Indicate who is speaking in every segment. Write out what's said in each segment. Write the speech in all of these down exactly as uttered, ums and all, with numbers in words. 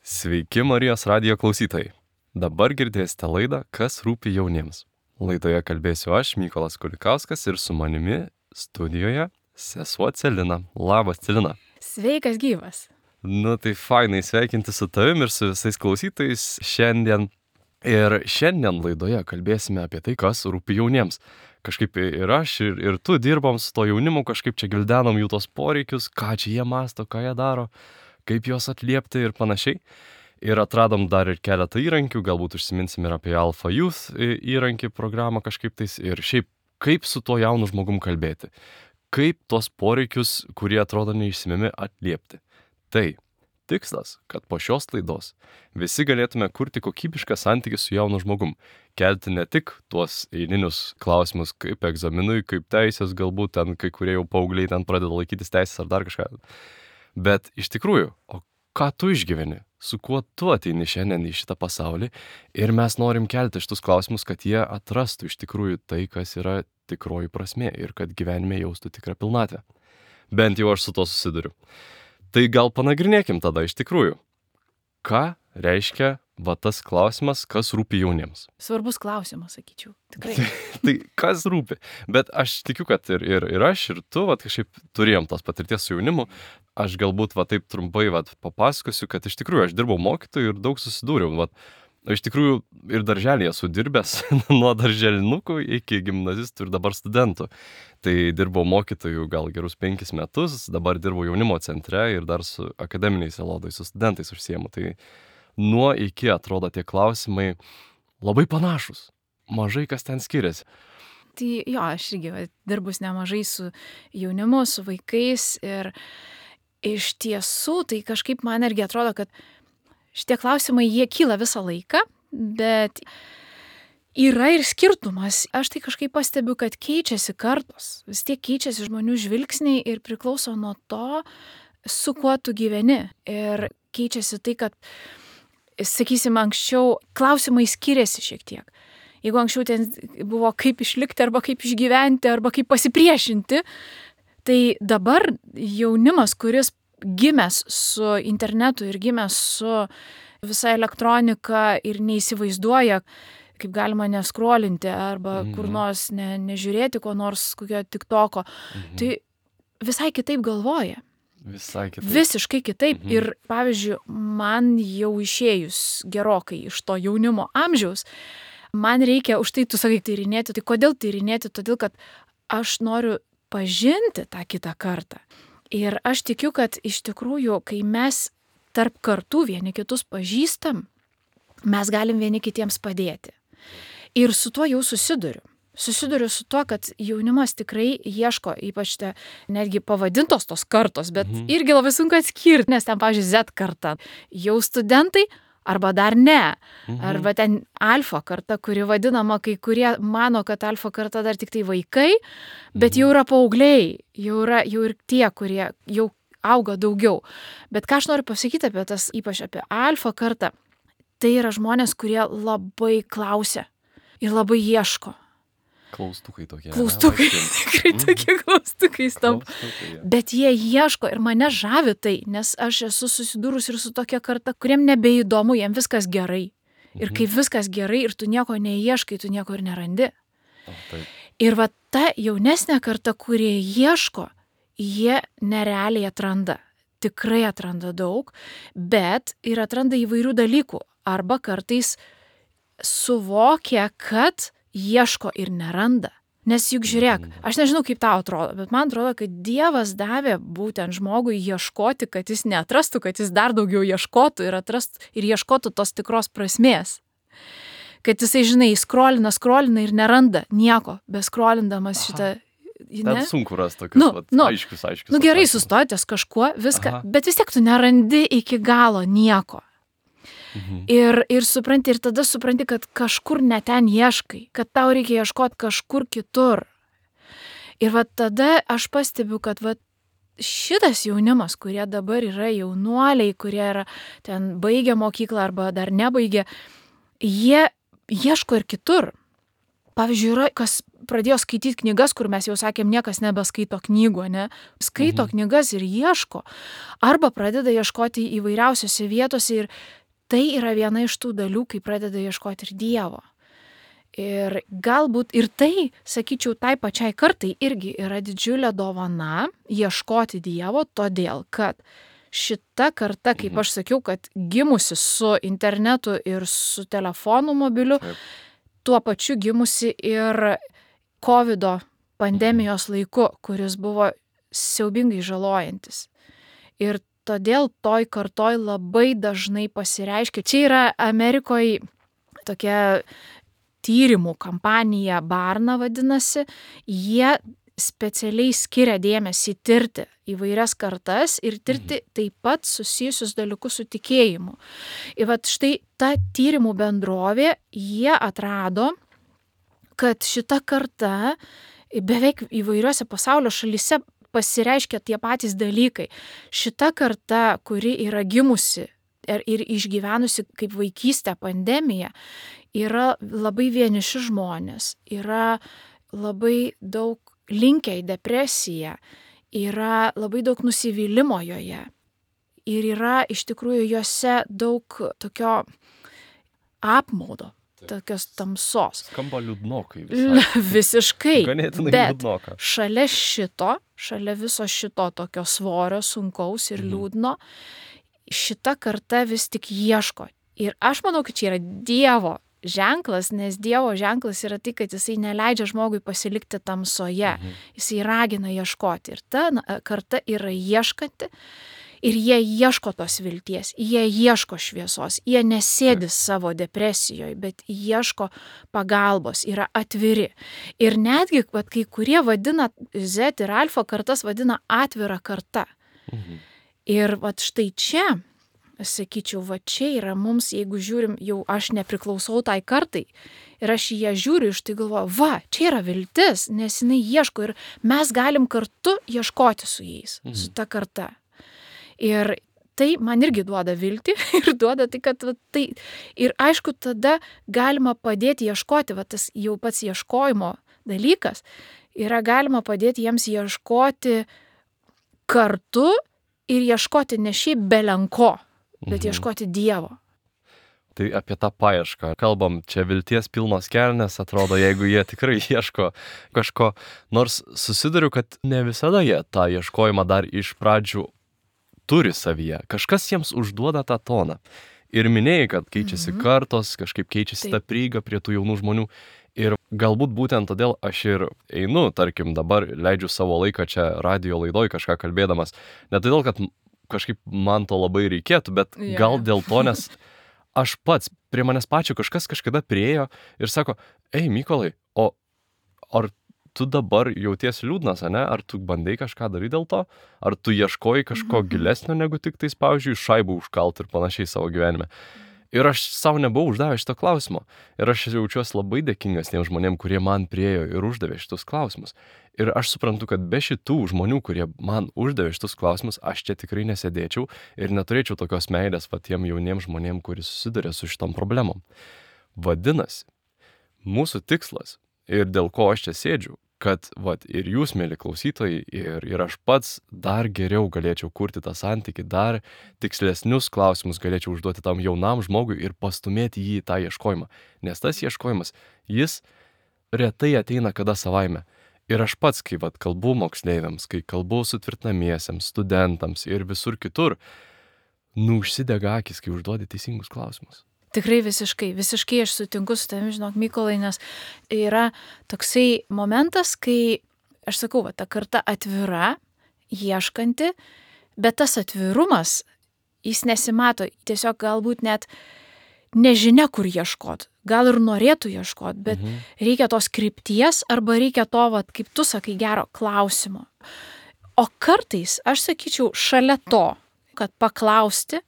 Speaker 1: Sveiki Marijos radijo klausytojai. Dabar girdėsite laidą Kas rūpi jauniems. Laidoje kalbėsiu aš, Mykolas Kulikauskas, ir su manimi studijoje sesuo Celina. Labas, Celina.
Speaker 2: Sveikas gyvas.
Speaker 1: Nu tai fainai sveikinti su tavim ir su visais klausytojais šiandien. Ir šiandien laidoje kalbėsime apie tai, kas rūpi jauniems. Kažkaip ir aš, ir, ir tu dirbom su to jaunimu, kažkaip čia gildenom jų tos poreikius, ką čia jie masto, ką jie daro, kaip juos atliepti ir panašiai. Ir atradom dar ir keletą įrankių, galbūt užsiminsim ir apie Alpha Youth įrankį programą kažkaip tais. Ir šiaip, kaip su tuo jaunu žmogum kalbėti. Kaip tuos poreikius, kurie atrodo neišsimiami, atliepti. Tai tikslas, kad po šios laidos visi galėtume kurti kokybišką santykį su jaunu žmogum. Kelti ne tik tuos eilinius klausimus, kaip egzaminui, kaip teisės, galbūt ten kai kurie jau paaugliai ten pradeda laikytis teisės ar dar kažką. Bet iš tikrųjų, o ką tu išgyveni? Su kuo tu ateini šiandien į šitą pasaulį? Ir mes norim kelti šitus klausimus, kad jie atrastų iš tikrųjų tai, kas yra tikroji prasmė ir kad gyvenime jaustų tikrą pilnatvę. Bent jau aš su to susiduriu. Tai gal panagrinėkim tada iš tikrųjų, ką reiškia va tas klausimas, kas rūpi jauniems.
Speaker 2: Svarbus klausimas, sakyčiau. Tikrai.
Speaker 1: Tai kas rūpi? Bet aš tikiu, kad ir, ir, ir aš, ir tu, va, kažkaip turėjom tos patirties su jaunimu. Aš galbūt va taip trumpai va papasakosiu, kad iš tikrųjų aš dirbau mokytoju ir daug susidūriau. Va, iš tikrųjų ir darželį esu dirbęs nuo darželinukų iki gimnazistų ir dabar studentų. Tai dirbau mokytoju gal gerus penkis metus, dabar dirbau jaunimo centre ir dar su akademiniais elodais, su studentais užsiemu. Tai nuo iki atrodo tie klausimai labai panašus. Mažai kas ten skiriasi.
Speaker 2: Tai jo, aš irgi va, dirbus nemažai su jaunimu, su vaikais ir iš tiesų tai kažkaip man irgi atrodo, kad šitie klausimai jie kyla visą laiką, bet yra ir skirtumas. Aš tai kažkaip pastebiu, kad keičiasi kartos. Vis tiek keičiasi žmonių žvilgsniai ir priklauso nuo to, su kuo tu gyveni. Ir keičiasi tai, kad, sakysim, anksčiau klausimai skiriasi šiek tiek. Jeigu anksčiau ten buvo kaip išlikti, arba kaip išgyventi, arba kaip pasipriešinti, tai dabar jaunimas, kuris gimęs su internetu ir gimęs su visa elektronika ir neįsivaizduoja, kaip galima neskrolinti arba mhm. kur nors ne, nežiūrėti, ko nors kokio tiktoko, mhm. tai visai kitaip galvoja.
Speaker 1: Visai kitaip.
Speaker 2: Visiškai kitaip. Mhm. Ir pavyzdžiui, man jau išėjus gerokai iš to jaunimo amžiaus, man reikia už tai, tu sakai, tyrinėti. Tai kodėl tyrinėti? Todėl, kad aš noriu pažinti tą kitą kartą. Ir aš tikiu, kad iš tikrųjų, kai mes tarp kartų vieni kitus pažįstam, mes galim vieni kitiems padėti. Ir su tuo jau susiduriu. Susiduriu su tuo, kad jaunimas tikrai ieško, ypač te netgi pavadintos tos kartos, bet mhm. irgi labai sunku atskirti, nes ten, pavyzdžiui, Z karta jau studentai, arba dar ne. Mhm. Arba ten alfa karta, kuri vadinama, kai kurie mano, kad alfa karta dar tik tai vaikai, bet mhm. jau yra paaugliai, jau yra jau ir tie, kurie jau auga daugiau. Bet ką aš noriu pasakyti apie tas, ypač apie alfa kartą, tai yra žmonės, kurie labai klausia ir labai ieško.
Speaker 1: Klaustukai tokie.
Speaker 2: Klaustukai, tikrai tokie klaustukai stampa. Bet jie ieško ir mane žavi tai, nes aš esu susidūrus ir su tokia karta, kuriem nebeįdomu, jiem viskas gerai. Ir kai viskas gerai ir tu nieko neieškai, tu nieko ir nerandi.
Speaker 1: O, taip.
Speaker 2: Ir va ta jaunesnė karta, kurie ieško, jie nerealiai atranda. Tikrai atranda daug, bet ir atranda įvairių dalykų. Arba kartais suvokia, kad ieško ir neranda. Nes juk žiūrėk, aš nežinau, kaip tau atrodo, bet man atrodo, kad Dievas davė būtent žmogui ieškoti, kad jis neatrastų, kad jis dar daugiau ieškotų ir atrastų ir ieškotų tos tikros prasmės. Kad jisai, žinai, skrolina, skrolina ir neranda nieko, beskrolindamas šitą...
Speaker 1: Ne? Ten sunku rasti tokius
Speaker 2: nu,
Speaker 1: vat,
Speaker 2: nu,
Speaker 1: aiškius, aiškius.
Speaker 2: Nu gerai, sustotės kažkuo, viską, Aha. bet vis tiek tu nerandi iki galo nieko. Mhm. Ir, ir supranti, ir tada supranti, kad kažkur ne ten ieškai, kad tau reikia ieškoti kažkur kitur. Ir va tada aš pastebiu, kad va šitas jaunimas, kurie dabar yra jaunuoliai, kurie yra ten baigę mokyklą arba dar nebaigę, jie ieško ir kitur. Pavyzdžiui, yra, kas pradėjo skaityti knygas, kur mes jau sakėm, niekas nebeskaito knygų, ne? Skaito mhm. knygas ir ieško. Arba pradeda ieškoti įvairiausiose vietose ir tai yra viena iš tų dalių, kai pradeda ieškoti ir Dievo. Ir galbūt ir tai, sakyčiau, tai pačiai kartai irgi yra didžiulė dovana ieškoti Dievo, todėl kad šita karta, kaip aš sakiau, kad gimusi su internetu ir su telefonu mobiliu, Taip. Tuo pačiu gimusi ir kovido pandemijos laiku, kuris buvo siaubingai žalojantis. Ir todėl toj kartoj labai dažnai pasireiškia. Čia yra Amerikoje tokia tyrimų kampanija Barna vadinasi. Jie specialiai skiria dėmesį tirti įvairias kartas ir tirti taip pat susijusius dalykus su tikėjimu. Ir vat štai ta tyrimų bendrovė, jie atrado, kad šita karta beveik įvairiuose pasaulio šalyse pasireiškia tie patys dalykai. Šita karta, kuri yra gimusi ir, ir išgyvenusi kaip vaikystę pandemiją, yra labai vieniši žmonės, yra labai daug linkę į depresiją, yra labai daug nusivylimo joje ir yra iš tikrųjų jose daug tokio apmaudo, tokios tamsos.
Speaker 1: Skamba liūdnokai visai.
Speaker 2: Visiškai.
Speaker 1: Ganėtinai
Speaker 2: bet
Speaker 1: liūdnoka.
Speaker 2: Šalia šito, šalia viso šito tokio svorio, sunkaus ir liūdno, šita karta vis tik ieško. Ir aš manau, kad čia yra Dievo ženklas, nes Dievo ženklas yra tai, kad jisai neleidžia žmogui pasilikti tamsoje. Mhm. Jisai ragina ieškoti. Ir ta karta yra ieškanti. Ir jie ieško tos vilties, jie ieško šviesos, jie nesėdi savo depresijoje, bet ieško pagalbos, yra atviri. Ir netgi, vat, kai kurie vadina Z ir alfa kartas, vadina atvira karta. Mhm. Ir vat štai čia, sakyčiau, va čia yra mums, jeigu žiūrim, jau aš nepriklausau tai kartai ir aš į ją žiūriu, iš tai galvoju, va, čia yra viltis, nes jinai ieško ir mes galim kartu ieškoti su jais, mhm. su ta karta. Ir tai man irgi duoda viltį ir duoda tai, kad va, tai ir aišku, tada galima padėti ieškoti, va tas jau pats ieškojimo dalykas, yra galima padėti jiems ieškoti kartu ir ieškoti ne šiaip belenko, bet mhm. ieškoti Dievo.
Speaker 1: Tai apie tą paiešką. Kalbam, čia vilties pilnos kelnes, atrodo, jeigu jie tikrai ieško kažko. Nors susiduriu, kad ne visada jie tą ieškojimą dar iš pradžių turi savyje. Kažkas jiems užduoda tą toną. Ir minėjai, kad keičiasi mhm. kartos, kažkaip keičiasi Taip. Ta prieiga prie tų jaunų žmonių. Ir galbūt būtent todėl aš ir einu, tarkim, dabar leidžiu savo laiką čia radijo laidoj kažką kalbėdamas. Ne todėl, kad kažkaip man to labai reikėtų, bet yeah. gal dėl to, nes aš pats, prie manęs pačio kažkas kažkada priėjo ir sako, ei, Mykolai, o ar tu dabar jauties liūdnas, ane? Ar tu bandai kažką daryti dėl to? Ar tu ieškoji kažko mm-hmm. gilesnio negu tik tais, pavyzdžiui, šaibų užkalt ir panašiai savo gyvenime? Ir aš savo nebuvau uždavęs šito klausimo. Ir aš jaučiuosi labai dėkingas tiem žmonėm, kurie man priėjo ir uždavė šitus klausimus. Ir aš suprantu, kad be šitų žmonių, kurie man uždavė šitus klausimus, aš čia tikrai nesėdėčiau ir neturėčiau tokios meilės patiem jauniem žmonėm, kuris susiduria su šitom problemom. Vadinasi, mūsų tikslas ir dėl ko aš čia sėdžiu, kad vat, ir jūs, mėly klausytojai, ir, ir aš pats dar geriau galėčiau kurti tą santykį, dar tikslesnius klausimus galėčiau užduoti tam jaunam žmogui ir pastumėti jį į tą ieškojimą. Nes tas ieškojimas, jis retai ateina kada savaime. Ir aš pats, kai vat, kalbu moksleiviams, kai kalbu sutvirtinamiesiems, studentams ir visur kitur, nu užsidega akis, kai užduodi teisingus klausimus.
Speaker 2: Tikrai visiškai, visiškai aš sutinku su tavimi, žinok, Mykolai, nes yra toksai momentas, kai, aš sakau, va, ta karta atvira, ieškanti, bet tas atvirumas, jis nesimato, tiesiog galbūt net nežinia, kur ieškot, gal ir norėtų ieškot, bet mhm. reikia tos krypties arba reikia to, va, kaip tu sakai, gero klausimo. O kartais, aš sakyčiau, šalia to, kad paklausti,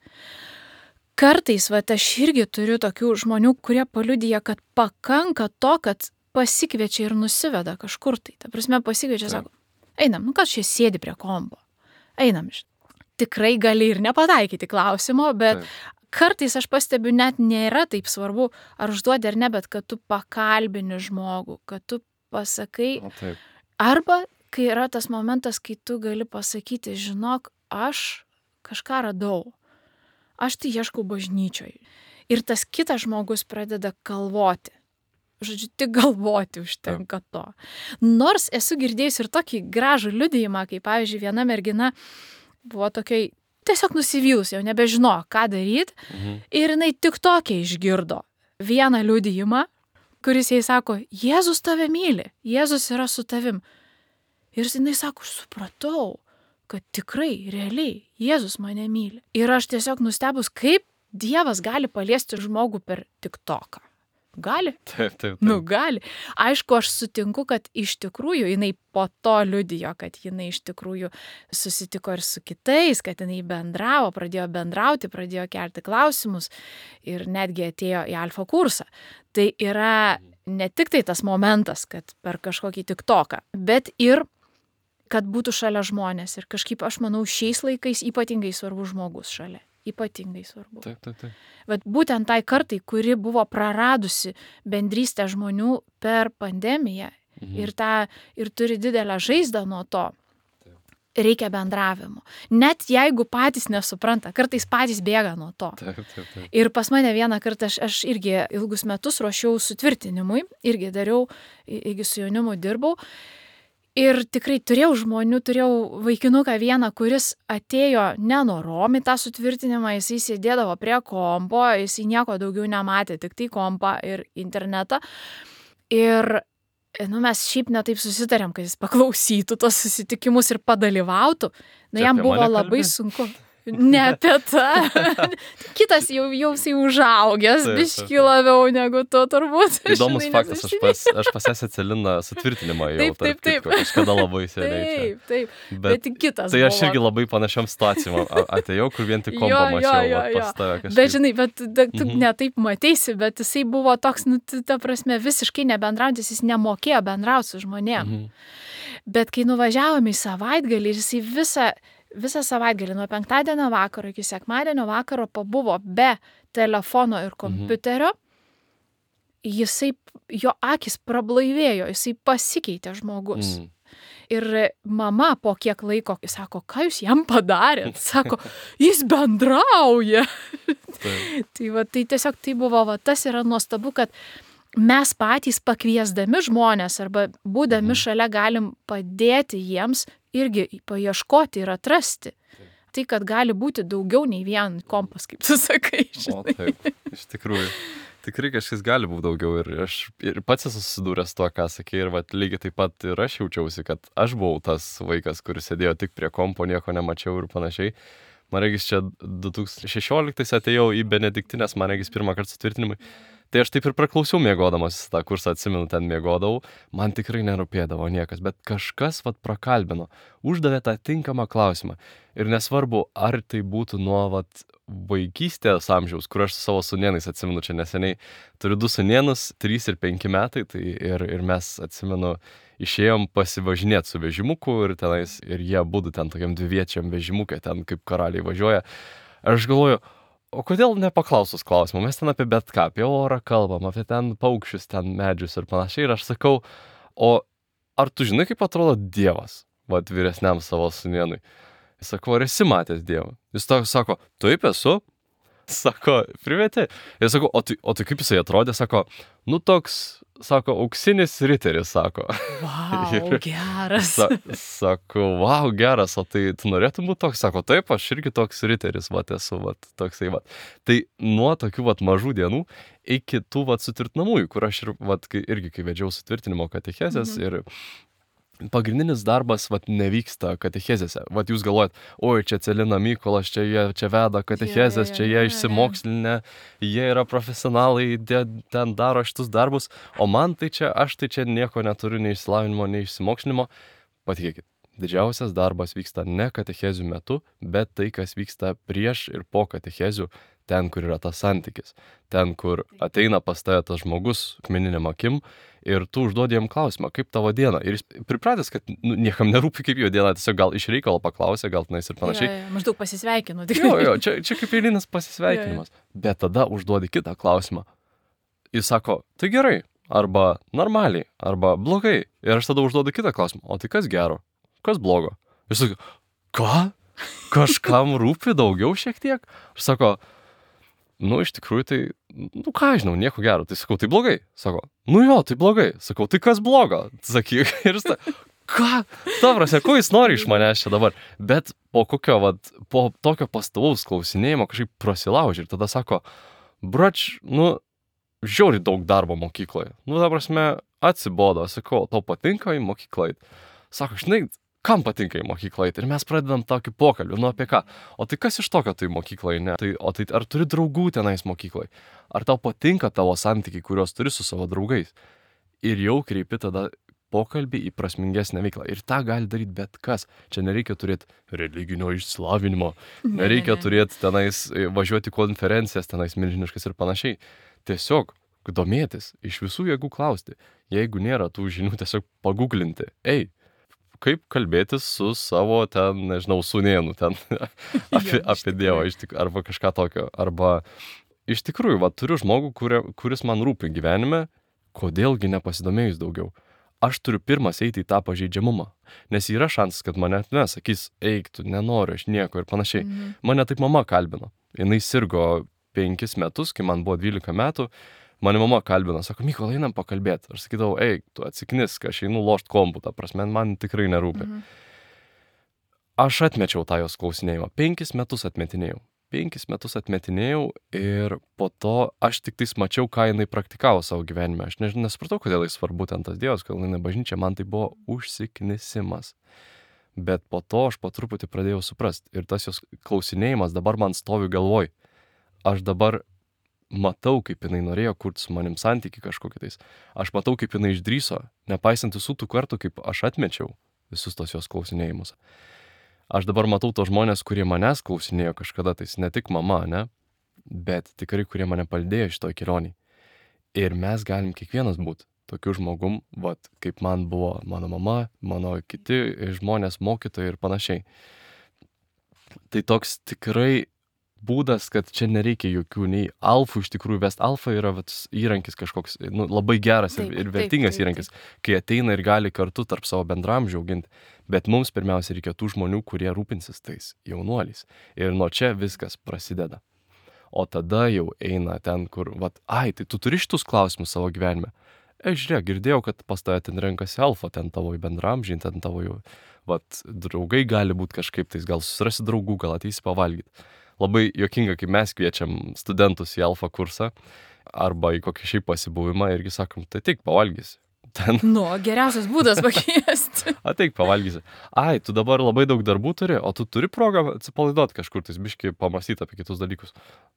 Speaker 2: kartais, va, aš irgi turiu tokių žmonių, kurie paliudija, kad pakanka to, kad pasikviečia ir nusiveda kažkur tai. Ta prasme, pasikviečia, sako, einam, nu kas čia sėdi prie kombo. Einam, tikrai gali ir nepataikyti klausimo, bet Taip. kartais aš pastebiu, net nėra taip svarbu, ar užduodi ar ne, bet kad tu pakalbini žmogų, kad tu pasakai.
Speaker 1: O, taip.
Speaker 2: Arba, kai yra tas momentas, kai tu gali pasakyti, žinok, aš kažką radau. Aš tai ieškau bažnyčioje. Ir tas kitas žmogus pradeda galvoti. Žodžiu, tik galvoti užtenka to. Nors esu girdėjus ir tokį gražų liudijimą, kai, pavyzdžiui, viena mergina buvo tokiai tiesiog nusivylus, jau nebežino, ką daryti.
Speaker 1: Mhm.
Speaker 2: Ir jinai tik tokia išgirdo vieną liudijimą, kuris jai sako, Jėzus tave myli, Jėzus yra su tavim. Ir jinai sako, aš supratau, kad tikrai, realiai, Jėzus mane myli. Ir aš tiesiog nustebus, kaip Dievas gali paliesti žmogų per TikToką. Gali?
Speaker 1: Taip, taip, taip.
Speaker 2: Nu, gali. Aišku, aš sutinku, kad iš tikrųjų jinai po to liudijo, kad jinai iš tikrųjų susitiko ir su kitais, kad jinai bendravo, pradėjo bendrauti, pradėjo kelti klausimus ir netgi atėjo į alfa kursą. Tai yra ne tik tai tas momentas, kad per kažkokį TikToką, bet ir kad būtų šalia žmonės. Ir kažkaip, aš manau, šiais laikais ypatingai svarbus žmogus šalia. Ypatingai svarbu.
Speaker 1: Taip, taip, taip.
Speaker 2: Bet būtent tai kartai, kuri buvo praradusi bendrystę žmonių per pandemiją
Speaker 1: Mhm.
Speaker 2: ir, tą, ir turi didelę žaizdą nuo to,
Speaker 1: Taip.
Speaker 2: reikia bendravimo. Net jeigu patys nesupranta, kartais patys bėga nuo to.
Speaker 1: Taip, taip, taip.
Speaker 2: Ir pas mane vieną kartą, aš, aš irgi ilgus metus ruošiau sutvirtinimui, irgi dariau, irgi su jaunimu dirbau. Ir tikrai turėjau žmonių, turėjau vaikinuką vieną, kuris atėjo nenorom į tą sutvirtinimą, jis sėdėdavo prie kompo, jis nieko daugiau nematė, tik tai kompą ir internetą. Ir nu, mes šiaip netaip susitarėm, kad jis paklausytų tos susitikimus ir padalyvautų. Na,
Speaker 1: Čia
Speaker 2: jam
Speaker 1: apie
Speaker 2: buvo
Speaker 1: mane
Speaker 2: labai
Speaker 1: kalbi?
Speaker 2: sunku. Ne apie tą. Kitas jau, jau jisai užaugęs,
Speaker 1: Taip,
Speaker 2: biški
Speaker 1: taip, taip.
Speaker 2: labiau negu tu turbūt.
Speaker 1: Įdomus
Speaker 2: Žinai,
Speaker 1: faktas, aš
Speaker 2: nes
Speaker 1: pas, aš pas ją Celiną sutvirtinimą jau.
Speaker 2: Taip, taip,
Speaker 1: tarp kitko,
Speaker 2: taip.
Speaker 1: Kažkada labai seniai čia.
Speaker 2: Taip, taip.
Speaker 1: Bet,
Speaker 2: Bet tik kitas
Speaker 1: tai aš
Speaker 2: buvo.
Speaker 1: irgi labai panašiom situacijom a- atėjau, kur vien tik kompą
Speaker 2: Jo, jo,
Speaker 1: mačiau,
Speaker 2: jo,
Speaker 1: vat
Speaker 2: jo.
Speaker 1: pas tave kažkaip.
Speaker 2: Bet žinai, bet da- tu
Speaker 1: Mhm.
Speaker 2: ne taip matysi, bet jisai buvo toks, nu, t- ta prasme, visiškai nebendraujantis, jis nemokėjo bendrauti su žmonėm.
Speaker 1: Mhm.
Speaker 2: Bet kai nuvažiavome į savaitgalį ir jisai visą, visą savaitgalį nuo penktadienio vakaro iki sekmadienio vakaro pabuvo be telefono ir kompiuterio, jisai, jo akis prablaivėjo, jisai pasikeitė žmogus.
Speaker 1: Mhm.
Speaker 2: Ir mama po kiek laiko sako, ką jūs jam padarėt? Sako, jis bendrauja.
Speaker 1: Taip.
Speaker 2: Tai, va, tai tiesiog tai buvo, va, tas yra nuostabu, kad mes patys pakviesdami žmonės arba būdami
Speaker 1: Mhm.
Speaker 2: šalia galim padėti jiems irgi paieškoti ir atrasti. Tai, kad gali būti daugiau nei vien kompas, kaip tu sakai.
Speaker 1: O
Speaker 2: Žinai.
Speaker 1: taip, iš tikrųjų. Tikrai kažkas gali būti daugiau ir aš ir pats esu susidūręs tuo, ką sakė, ir vat, lygiai taip pat ir aš jaučiausi, kad aš buvau tas vaikas, kuris sėdėjo tik prie kompo, nieko nemačiau ir panašiai. Man regis čia du tūkstančiai šešioliktais atėjau į Benediktinės, man regis pirmą kartą sutvirtinimui. Tai aš taip ir praklausiau miegodamas tą kursą, atsimenu, ten miegodavau, man tikrai nerūpėdavo niekas, bet kažkas vat prakalbino, uždavė tą tinkamą klausimą. Ir nesvarbu, ar tai būtų nuo vat vaikystės amžiaus, kur aš su savo sūnėnais, atsimenu, čia neseniai turiu du sūnėnus, trys ir penki metai, tai ir, ir mes, atsimenu, išėjom pasivažinėti su vežimuku ir tenais, ir jie būtų ten tokiam dviviečiam vežimukė, ten kaip karaliai važiuoja. Aš galvoju, o kodėl nepaklausus klausimą? Mes ten apie bet ką, apie orą kalbam, apie ten paukščius, ten medžius ir panašiai. Ir aš sakau, o ar tu žinai, kaip atrodo Dievas, vat vyresniam savo sūnėnui? Jis sako, ar esi matęs Dievą? Jis toks sako, taip esu. Sako, privetė. Jis sako, o tai, o tai kaip jisai atrodė? Sako, nu toks, sako, auksinis riteris, sako.
Speaker 2: Vau, geras.
Speaker 1: Sa, sako, wow, geras, o tai tu norėtum būti toks? Sako, taip, aš irgi toks riteris, vat esu, vat toksai, vat. Tai nuo tokių, vat, mažų dienų iki tų, vat, sutvirtinamųjų, kur aš ir, vat, kai, irgi, kai vedžiau sutvirtinimo katechezės
Speaker 2: Mhm.
Speaker 1: ir pagrindinis darbas, vat, nevyksta katechezėse. Vat jūs galvojat, oi, čia Celina Mykolas, čia jie čia veda katechezės,
Speaker 2: Jo, jo,
Speaker 1: čia
Speaker 2: jo,
Speaker 1: jie
Speaker 2: jo, jo.
Speaker 1: išsimokslinę, jie yra profesionalai, jie ten daro šitus darbus, o man tai čia, aš tai čia nieko neturiu, nei išsilavinimo, nei išsimokslinimo. Patikėkit, didžiausias darbas vyksta ne katechezių metu, bet tai, kas vyksta prieš ir po katechezių. ten, kur yra tas santykis, ten, kur ateina pas tave tas žmogus akmeniniam akim ir tu užduodi jam klausimą, kaip tavo diena. Ir jis pripratęs, kad nu, niekam nerūpi, kaip jo diena, tiesiog gal iš reikalo paklausė, gal tenais ir panašiai.
Speaker 2: Jo, jo, maždaug pasisveikinu.
Speaker 1: Jo, jo, čia, čia kaip eilinis pasisveikinimas. Bet tada užduodi kitą klausimą. Jis sako, tai gerai, arba normaliai, arba blogai. Ir aš tada užduodu kitą klausimą, o tai kas gero, kas blogo? Jis sako, ką? Kažkam rūpi daugiau šiek tiek? Aš sako, nu, iš tikrųjų, tai, nu, ką žinau, nieko gero. Tai sakau, tai blogai. Sako, nu jo, tai blogai. Sakau, tai kas blogo? Sakyk, ir jis ta, ką? Ta prasme, ko jis nori iš manęs čia dabar? Bet po kokio, vat, po tokio pastovaus klausinėjimo kažkaip prasilaužė ir tada sako, brač, nu, žiauriai daug darbo mokykloje. Nu, ta prasme, atsibodo. Sakau, tau patinka į mokyklą eit? Sako, žinai, kam patinka į mokyklą eit? Ir mes pradedam tokį pokalbį, nu apie ką? O tai kas iš tokio tai mokyklai, ne? Tai, o tai ar turi draugų tenais mokyklai? Ar tau patinka tavo santykiai, kuriuos turi su savo draugais? Ir jau kreipi tada pokalbį į prasmingesnę veiklą. Ir tą gali daryti bet kas. Čia nereikia turėti religinio išsilavinimo, nereikia
Speaker 2: ne, ne.
Speaker 1: turėti tenais, važiuoti konferencijas tenais milžiniškas ir panašiai. Tiesiog domėtis, iš visų jėgų klausti. Jeigu nėra tų žinių, tiesiog paguglinti. Ei, kaip kalbėtis su savo ten, nežinau, sūnėnu ten apie, apie Dievą iš tik, arba kažką tokio. Arba iš tikrųjų, va, turiu žmogų, kuria, kuris man rūpi gyvenime, kodėlgi nepasidomėjus daugiau. Aš turiu pirmas eiti į tą pažeidžiamumą, nes yra šansas, kad mane nesakys, eik, tu nenoriu, aš nieko ir panašiai.
Speaker 2: Mhm.
Speaker 1: Mane taip mama kalbino. Jinai sirgo penkis metus, kai man buvo dvylika metų. Mane mama kalbino, sako, Mykolai, einam pakalbėti. Aš sakydavau, eik, tu atsiknisk, aš einu lošt kompų, ta prasme, man tikrai nerūpi.
Speaker 2: Mhm.
Speaker 1: Aš atmečiau tą jos klausinėjimą. Penkis metus atmetinėjau. Penkis metus atmetinėjau ir po to aš tik tais mačiau, ką jinai praktikavo savo gyvenime. Aš nežinau, nesupratau, kodėl jis svarbu ten tas Dievas, kodėl jinai bažnyčia, man tai buvo užsiknisimas. Bet po to aš po truputį pradėjau suprast. Ir tas jos klausinėjimas dabar man stovi galvoj. Aš dabar matau, kaip jinai norėjo kurti su manim santykį kažkokį tais. Aš matau, kaip jinai išdryso, nepaisant visų tų kartų, kaip aš atmečiau visus tos jos klausinėjimus. Aš dabar matau tos žmonės, kurie manęs klausinėjo kažkada, tais ne tik mama, ne, bet tikrai, kurie mane palydėjo šitoj kelionėj. Ir mes galim kiekvienas būti tokiu žmogum, vat, kaip man buvo mano mama, mano kiti žmonės, mokytojai ir panašiai. Tai toks tikrai būdas, kad čia nereikia jokių nei alfų iš tikrųjų vest. Alfa yra vat, įrankis kažkoks, nu, labai geras
Speaker 2: Taip,
Speaker 1: ir, ir
Speaker 2: taip,
Speaker 1: vertingas
Speaker 2: taip,
Speaker 1: įrankis, kai ateina ir gali kartu tarp savo bendramžių auginti. Bet mums pirmiausia reikia tų žmonių, kurie rūpinsis tais jaunuoliais. Ir nuo čia viskas prasideda. O tada jau eina ten, kur, vat, ai, tai tu turi šitus klausimus savo gyvenime. E, žiūrėk, girdėjau, kad pas tave ten renkasi alfa, ten tavo bendramžiai, ten tavo jau, vat, draugai gali būti kažkaip, tais gal susirasi draugų, gal ateisi pavalgyti. Labai juokinga, kai mes kviečiam studentus į alfa kursą arba į kokį šiaip pasibuvimą irgi sakom, tai tik pavalgysi. Ten.
Speaker 2: Nu, geriausias būdas pakviesti.
Speaker 1: Ateik pavalgysi. Ai, tu dabar labai daug darbų turi, o tu turi progą atsipalaiduoti kažkur, tai biškai pamastyti apie kitus dalykus.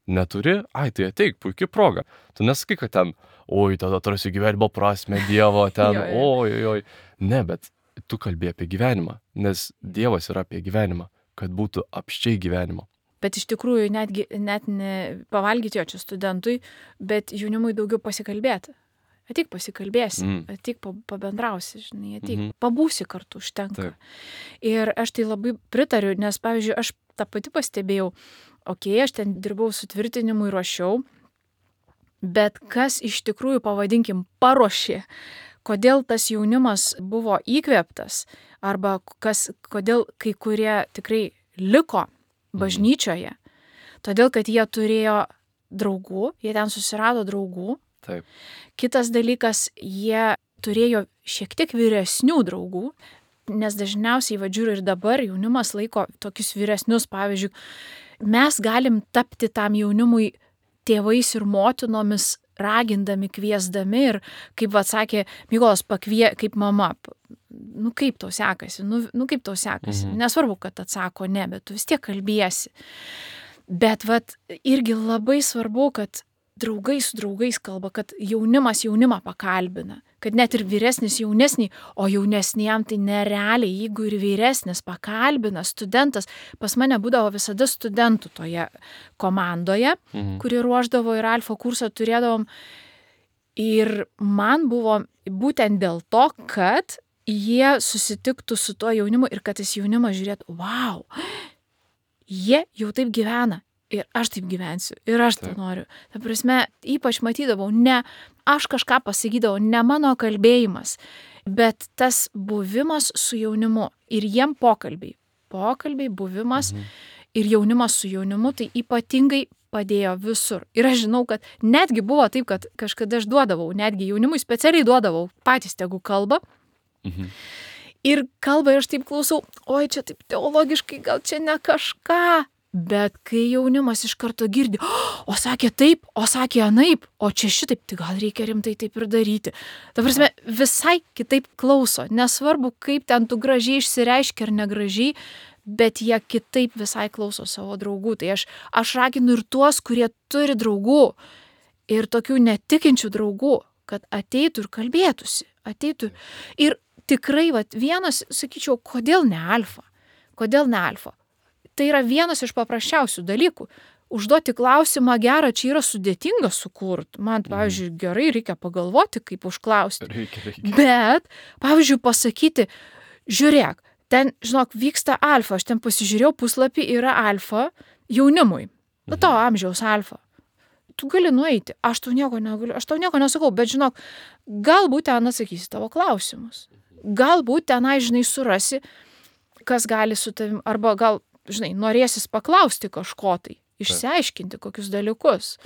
Speaker 1: Neturi? Ai, tai ateik, puikia proga. Tu nesakai, kad ten, oi, tada atrasi gyvenimo prasmę, Dievo, ten,
Speaker 2: Jo, jo.
Speaker 1: oi, oi, oi. Ne, bet tu kalbė apie gyvenimą, nes Dievas yra apie gyvenimą, kad būtų apščiai gyvenimo.
Speaker 2: Bet iš tikrųjų netgi, net ne pavalgyti jo čia studentui, bet jaunimui daugiau pasikalbėti. Ateik pasikalbėsi,
Speaker 1: Mm.
Speaker 2: ateik pa- pabendrausi, žinai, ateik,
Speaker 1: Mhm.
Speaker 2: pabūsi kartu, užtenka.
Speaker 1: Taip.
Speaker 2: Ir aš tai labai pritariu, nes, pavyzdžiui, aš tą pati pastebėjau, okei, okay, aš ten dirbau sutvirtinimui, ruošiau, bet kas iš tikrųjų, pavadinkim, paruošė, kodėl tas jaunimas buvo įkvėptas, arba kas, kodėl kai kurie tikrai liko bažnyčioje, todėl, kad jie turėjo draugų, jie ten susirado draugų.
Speaker 1: Taip.
Speaker 2: Kitas dalykas, jie turėjo šiek tiek vyresnių draugų, nes dažniausiai, vadžiūriu, ir dabar jaunimas laiko tokius vyresnius, pavyzdžiui, mes galim tapti tam jaunimui tėvais ir motinomis, ragindami, kviesdami ir, kaip atsakė Mykolas, pakvie, kaip mama, nu kaip tau sekasi, nu, nu kaip tau sekasi,
Speaker 1: Mhm.
Speaker 2: nesvarbu, kad atsako ne, bet tu vis tiek kalbėsi. Bet vat irgi labai svarbu, kad draugai su draugais kalba, kad jaunimas jaunimą pakalbina, kad net ir vyresnis jaunesnį, o jaunesniem tai nerealiai, jeigu ir vyresnis pakalbina studentas, pas mane būdavo visada studentų toje komandoje, mhm. kuri ruoždavo ir alfa kursą turėdavom. Ir man buvo būtent dėl to, kad jie susitiktų su tuo jaunimu ir kad tas jaunimas žiūrėtų, wow, jie jau taip gyvena. Ir aš taip gyvensiu, ir aš tai noriu. Ta prasme, ypač matydavau, ne aš kažką pasakydavau, ne mano kalbėjimas, bet tas buvimas su jaunimu ir jiem pokalbiai. Pokalbiai, buvimas mhm. ir jaunimas su jaunimu, tai ypatingai padėjo visur. Ir aš žinau, kad netgi buvo taip, kad kažkada aš duodavau, netgi jaunimui specialiai duodavau, patys tegu kalba. Mhm. Ir kalba ir aš taip klausau, oi, čia taip teologiškai, gal čia ne kažką. Bet kai jaunimas iš karto girdi, o sakė taip, o sakė anaip, o čia šitaip, tai gal reikia rimtai taip ir daryti. Ta prasme, visai kitaip klauso. Nesvarbu, kaip ten tu gražiai išsireiškia ar negražiai, bet jie kitaip visai klauso savo draugų. Tai aš, aš raginu ir tuos, kurie turi draugų ir tokių netikinčių draugų, kad ateitų ir kalbėtųsi. Ateitų. Ir tikrai, vat, vienas, sakyčiau, kodėl ne alfa? Kodėl ne alfa? Tai yra vienas iš paprasčiausių dalykų. Užduoti klausimą gerą, čia yra sudėtinga sukurti. Man, pavyzdžiui, gerai reikia pagalvoti, kaip užklausti.
Speaker 1: Reikia, reikia.
Speaker 2: Bet, pavyzdžiui, pasakyti, žiūrėk, ten, žinok, vyksta alfa, aš ten pasižiūrėjau, puslapį yra alfa jaunimui. Na, to amžiaus alfa. Tu gali nueiti, aš tau nieko negaliu, aš tau nieko nesakau, bet, žinok, galbūt ten atsakysi tavo klausimus. Galbūt tenai, žinai, surasi, kas gali su tavim, arba gal žinai, norėsis paklausti kažko tai, išsiaiškinti kokius dalykus.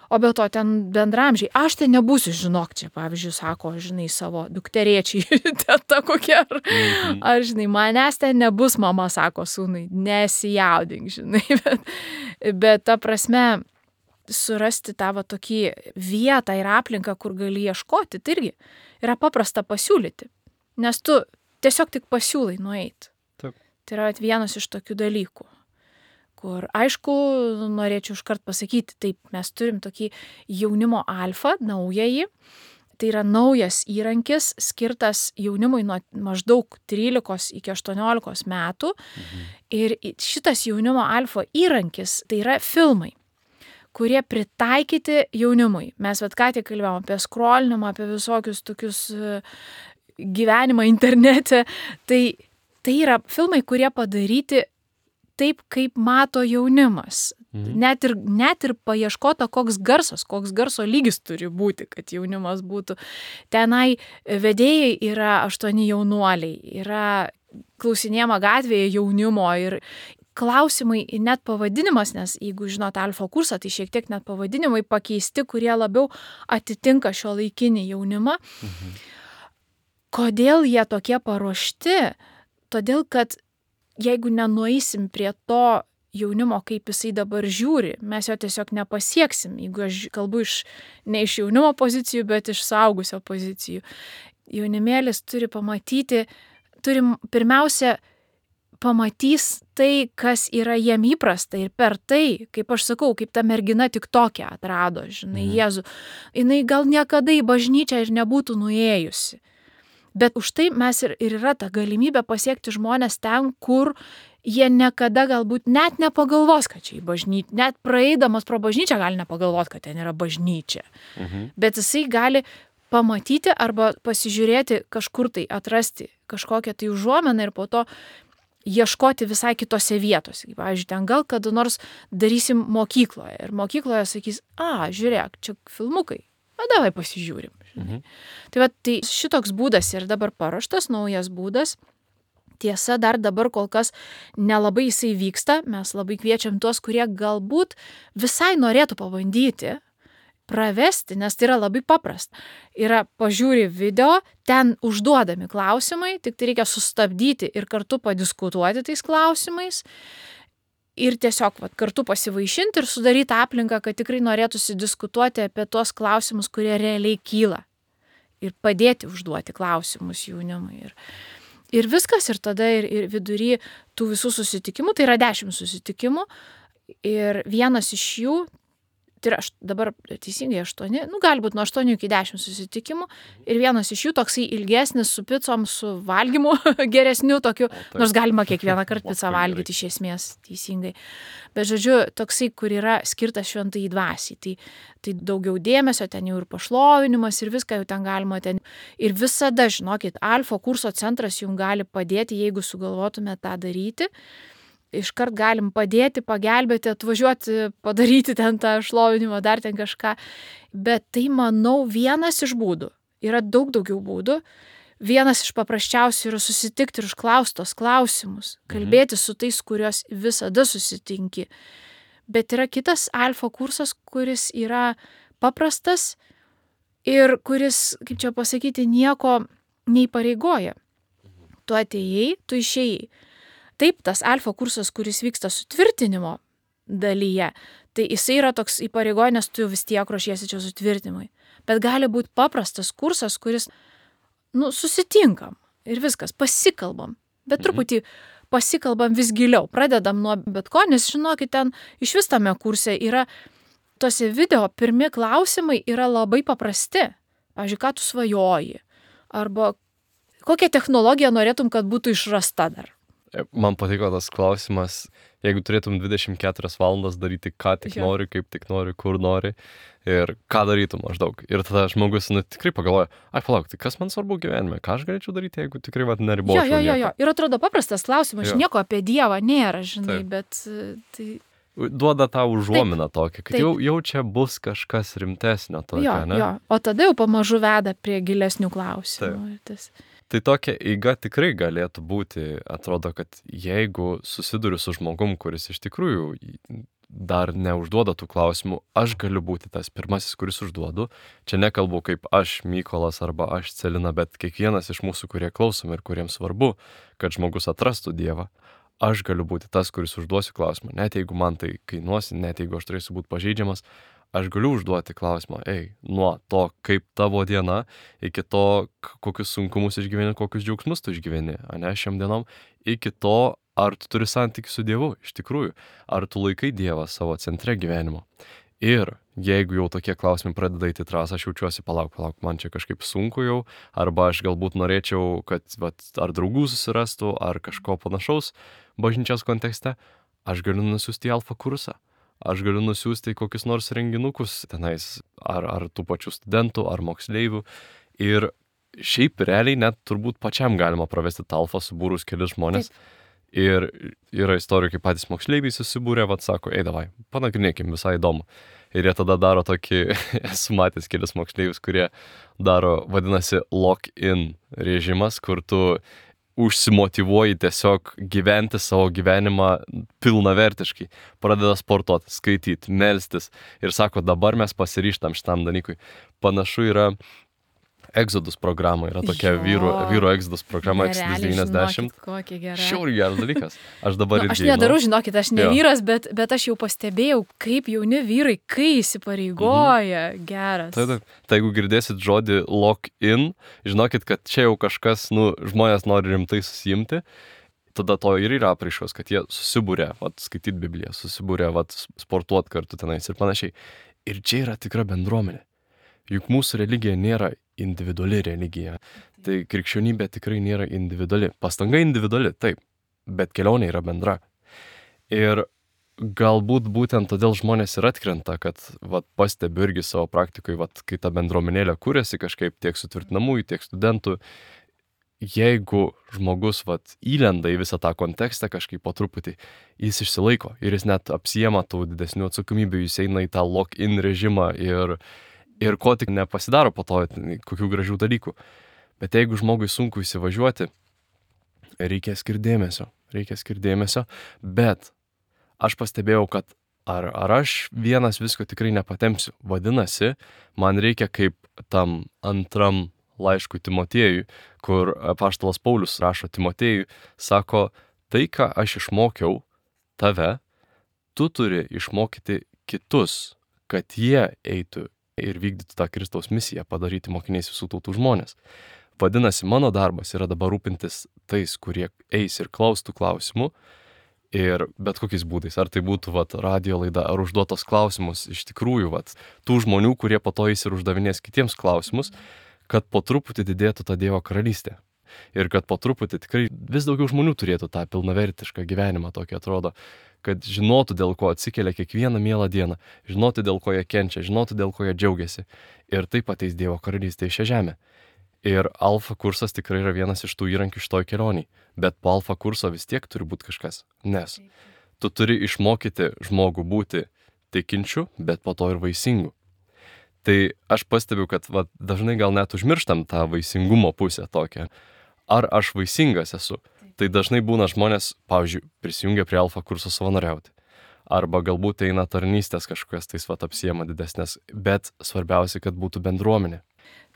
Speaker 2: O be to ten bendramžiai, aš ten nebūsiu, žinok, čia, pavyzdžiui, sako, žinai, savo dukterėčiai, teta kokia, ar, mhm. ar, žinai, manęs ten nebus, mama sako sūnui, nesijaudink, žinai, bet, bet ta prasme, surasti tavo tokį vietą ir aplinką, kur gali ieškoti, tai irgi yra paprasta pasiūlyti, nes tu tiesiog tik pasiūlai nueiti. Tai yra vienas iš tokių dalykų, kur, aišku, norėčiau iškart pasakyti, taip, mes turim tokį jaunimo alfa, naująjį, tai yra naujas įrankis, skirtas jaunimui nuo maždaug trylikos iki aštuoniolikos metų. Mhm. Ir šitas jaunimo alfa įrankis, tai yra filmai, kurie pritaikyti jaunimui. Mes vat ką tik kalbėjome apie skrolinimą, apie visokius tokius gyvenimą internete, tai Tai yra filmai, kurie padaryti taip, kaip mato jaunimas. Mhm. Net ir, net ir paieškota, koks garsas, koks garso lygis turi būti, kad jaunimas būtų. Tenai vedėjai yra aštuoni jaunuoliai, yra klausinėjama gatvėje jaunimo ir klausimai, net pavadinimas, nes jeigu žinot alfa kursą, tai šiek tiek net pavadinimai pakeisti, kurie labiau atitinka šio laikinį jaunimą. Mhm. Kodėl jie tokie paruošti? Todėl, kad jeigu nenueisim prie to jaunimo, kaip jisai dabar žiūri, mes jo tiesiog nepasieksim, jeigu aš kalbu iš, ne iš jaunimo pozicijų, bet iš suaugusio pozicijų. Jaunimėlis turi pamatyti, turi pirmiausia pamatys tai, kas yra jiem įprasta ir per tai, kaip aš sakau, kaip ta mergina tik tokia atrado, žinai, mhm. Jėzų. Jinai gal niekada į bažnyčią ir nebūtų nuėjusi. Bet už tai mes ir, ir yra ta galimybė pasiekti žmonės ten, kur jie niekada galbūt net nepagalvos, kad čia į bažnyčią, net praeidamas pro bažnyčią gali nepagalvoti, kad ten yra bažnyčia. Mhm. Bet jisai gali pamatyti arba pasižiūrėti kažkur tai, atrasti kažkokią tai užuomeną ir po to ieškoti visai kitose vietose. Pavyzdžiui, ten gal kada nors darysim mokykloje ir mokykloje sakys, a, žiūrėk, čia filmukai. Na, davai pasižiūrim. Mhm. Tai, va, tai šitoks būdas ir dabar paruoštas, naujas būdas. Tiesa, dar dabar kol kas nelabai jisai vyksta. Mes labai kviečiam tuos, kurie galbūt visai norėtų pabandyti pravesti, nes tai yra labai paprasta. Yra pažiūri video, ten užduodami klausimai, tik tai reikia sustabdyti ir kartu padiskutuoti tais klausimais. Ir tiesiog vat, kartu pasivaišinti ir sudaryti aplinką, kad tikrai norėtųsi diskutuoti apie tuos klausimus, kurie realiai kyla. Ir padėti užduoti klausimus jaunimui. Ir, ir viskas, ir tada ir, ir vidury tų visų susitikimų, tai yra dešimt susitikimų. Ir vienas iš jų tai yra dabar teisingai aštuoni, nu gali būti nuo aštuonių iki dešimt susitikimų ir vienas iš jų toksai ilgesnis su picom, su valgymu geresniu tokiu, nors galima kiekvieną kartą pizzą valgyti iš esmės teisingai. Bet žodžiu, toksai, kur yra skirtas šventai dvasiai, tai, tai daugiau dėmesio, ten jau ir pašlovinimas ir viską jau ten galima ten. Ir visada, žinokit, Alfa kurso centras jums gali padėti, jeigu sugalvotume tą daryti. Iškart galim padėti, pagelbėti, atvažiuoti, padaryti ten tą šlovinimą, dar ten kažką. Bet tai, manau, vienas iš būdų. Yra daug daugiau būdų. Vienas iš paprasčiausių yra susitikti ir užklausti tos klausimus. Kalbėti su tais, kuriuos visada susitinki. Bet yra kitas Alfa kursas, kuris yra paprastas ir kuris, kaip čia pasakyti, nieko neįpareigoja. Tu atėjai, tu išėjai. Taip, tas Alfa kursas, kuris vyksta sutvirtinimo dalyje, tai jisai yra toks įpareigoja, nes tu vis tiek ruošiesi čia sutvirtinimui. Bet gali būti paprastas kursas, kuris, nu, susitinkam ir viskas, pasikalbam. Bet truputį pasikalbam vis giliau. Pradedam nuo bet ko, nes žinokit, ten iš vis tame kurse yra, tose video pirmi klausimai yra labai paprasti. Pavyzdžiui, ką tu svajoji? Arba kokią technologiją norėtum, kad būtų išrasta dar?
Speaker 1: Man patiko tas klausimas, jeigu turėtum dvidešimt keturias valandas daryti, ką tik nori, kaip tik nori, kur nori ir ką darytum maždaug. Ir tada žmogus nu, tikrai pagalvoja, ai palauk, tai kas man svarbu gyvenime, ką aš galėčiau daryti, jeigu tikrai vat, neribočiau.
Speaker 2: Jo, jo, jo, jo.
Speaker 1: nieko.
Speaker 2: Ir atrodo paprastas klausimas,
Speaker 1: Jo.
Speaker 2: nieko apie Dievą nėra, žinai,
Speaker 1: Taip.
Speaker 2: bet tai...
Speaker 1: Duoda tą užuominą tokią, kad
Speaker 2: taip.
Speaker 1: jau, jau čia bus kažkas rimtesnio tokio,
Speaker 2: Jo,
Speaker 1: ne?
Speaker 2: jo. O tada jau pamažu veda prie gilesnių klausimų. Ir tas...
Speaker 1: Tai tokia eiga tikrai galėtų būti, atrodo, kad jeigu susiduriu su žmogum, kuris iš tikrųjų dar neužduoda tų klausimų, aš galiu būti tas pirmasis, kuris užduodu. Čia nekalbu kaip aš, Mykolas, arba aš, Celina, bet kiekvienas iš mūsų, kurie klausom ir kuriems svarbu, kad žmogus atrastų Dievą. Aš galiu būti tas, kuris užduosiu klausimą. Net jeigu man tai kainuosi, net jeigu aš turėsiu būti pažeidžiamas, aš galiu užduoti klausimą, ei, nuo to, kaip tavo diena, iki to, kokius sunkumus išgyveni, kokius džiaugsmus tu išgyveni, ane, šiam dienom, iki to, ar tu turi santykių su Dievu, iš tikrųjų, ar tu laikai Dievą savo centre gyvenimo. Ir jeigu jau tokie klausimai pradeda eiti trasą, aš jaučiuosi, palauk, palauk, man čia kažkaip sunku jau, arba aš galbūt norėčiau, kad vat, ar draugų susirastų, ar kažko panašaus bažnyčios kontekste, aš galiu nusiųsti į Alfa kursą. Aš galiu nusiųsti kokius nors renginukus tenais, ar, ar tų pačių studentų, ar moksleivių. Ir šiaip realiai net turbūt pačiam galima pravesti tą Alfą subūrus kelis žmonės. Taip. Ir yra istorijų, kaip patys moksleiviai susibūrė, vat sako, ei davai, panagrinėkim, visai įdomu. Ir jie tada daro tokį, esu matęs kelis moksleivius, kurie daro, vadinasi, lock-in režimas, kur tu užsimotyvuoji tiesiog gyventi savo gyvenimą pilnavertiškai, pradeda sportuoti, skaityti, melstis ir sako, dabar mes pasiryžtam šitam dalykui. Panašu yra Exodus programa, yra tokia
Speaker 2: Jo.
Speaker 1: vyru, vyru Exodus programa, Exodus
Speaker 2: Nerealiai,
Speaker 1: devyniasdešimt.
Speaker 2: žinokit, kokia gera.
Speaker 1: Šiauriai geras dalykas. Aš dabar
Speaker 2: Nu,
Speaker 1: irgi
Speaker 2: aš nedarau, žinokit, aš ne
Speaker 1: Jo.
Speaker 2: vyras, bet, bet aš jau pastebėjau, kaip jauni vyrai, kai įsipareigoja, geras.
Speaker 1: Tai, tai, tai jeigu girdėsit žodį lock-in, žinokit, kad čia jau kažkas, nu, žmonės nori rimtai susijimti, tada to ir yra apraiškos, kad jie susibūrė, vat, skaityti Bibliją, susibūrė, vat, sportuot kartu tenais ir panašiai. Ir čia yra tikra bendruomenė. Juk mūsų religija nėra individuali religija. Tai krikščionybė tikrai nėra individuali. Pastanga individuali, taip, bet kelionė yra bendra. Ir galbūt būtent todėl žmonės ir atkrenta, kad vat, pastebiu irgi savo praktikoje, vat, kai ta bendruomenėlė kūrėsi kažkaip tiek sutvirtinamųjų, tiek studentų, jeigu žmogus vat, įlenda į visą tą kontekstą kažkaip po truputį, jis išsilaiko ir jis net apsijema tų didesnių atsakomybių, jis eina į tą lock-in režimą ir Ir ko tik nepasidaro po to, kokių gražių dalykų. Bet jeigu žmogui sunku įsivažiuoti, reikia skirti dėmesio. Reikia skirti dėmesio. Bet aš pastebėjau, kad ar, ar aš vienas visko tikrai nepatempsiu. Vadinasi, man reikia kaip tam antram laiškui Timotiejui, kur apaštalas Paulius rašo Timotiejui, sako, tai, ką aš išmokiau tave, tu turi išmokyti kitus, kad jie eitų ir vykdyti tą Kristaus misiją, padaryti mokiniais visų tautų žmonės. Vadinasi, mano darbas yra dabar rūpintis tais, kurie eis ir klaustų klausimų Ir bet kokiais būdais, ar tai būtų vat, radio laida, ar užduotos klausimus iš tikrųjų, vat, tų žmonių, kurie po to jis ir uždavinės kitiems klausimus, kad po truputį didėtų ta Dievo karalystė. Ir kad po truputį tikrai vis daugiau žmonių turėtų tą pilnavertišką gyvenimą, tokį atrodo, kad žinotų, dėl ko atsikelia kiekvieną mielą dieną, žinotų, dėl ko jie kenčia, žinotų, dėl ko jie džiaugiasi. Ir taip ateis Dievo karalystė į šią žemę. Ir alfa kursas tikrai yra vienas iš tų įrankių šitoj kelioniai. Bet po alfa kurso vis tiek turi būti kažkas. Nes tu turi išmokyti žmogų būti tikinčiu, bet po to ir vaisingu. Tai aš pastebiu, kad va, dažnai gal net užmirštam tą vaisingumo pusę tokią. Ar aš vaisingas esu? Tai dažnai būna žmonės, pavyzdžiui, prisijungia prie alfa kurso savanoriauti. Arba galbūt eina tarnystės kažkokias tais vat apsiema didesnės. Bet svarbiausia, kad būtų bendruomenė.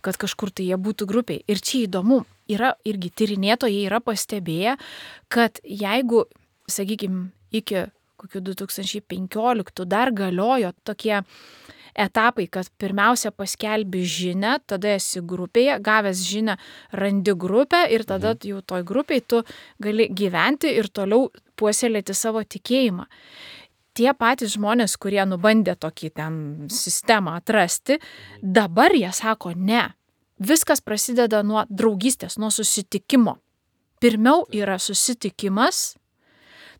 Speaker 2: Kad kažkur tai jie būtų grupiai. Ir čia įdomu, yra irgi tyrinėtojai yra pastebėję, kad jeigu, sakykime, iki kokių du tūkstančiai penkioliktų dar galiojo tokie etapai, kad pirmiausia paskelbi žinią, tada esi grupėje, gavęs žinią, randi grupę ir tada jau toj grupėje tu gali gyventi ir toliau puoselėti savo tikėjimą. Tie patys žmonės, kurie nubandė tokį ten sistemą atrasti, dabar jie sako ne. Viskas prasideda nuo draugystės, nuo susitikimo. Pirmiau yra susitikimas,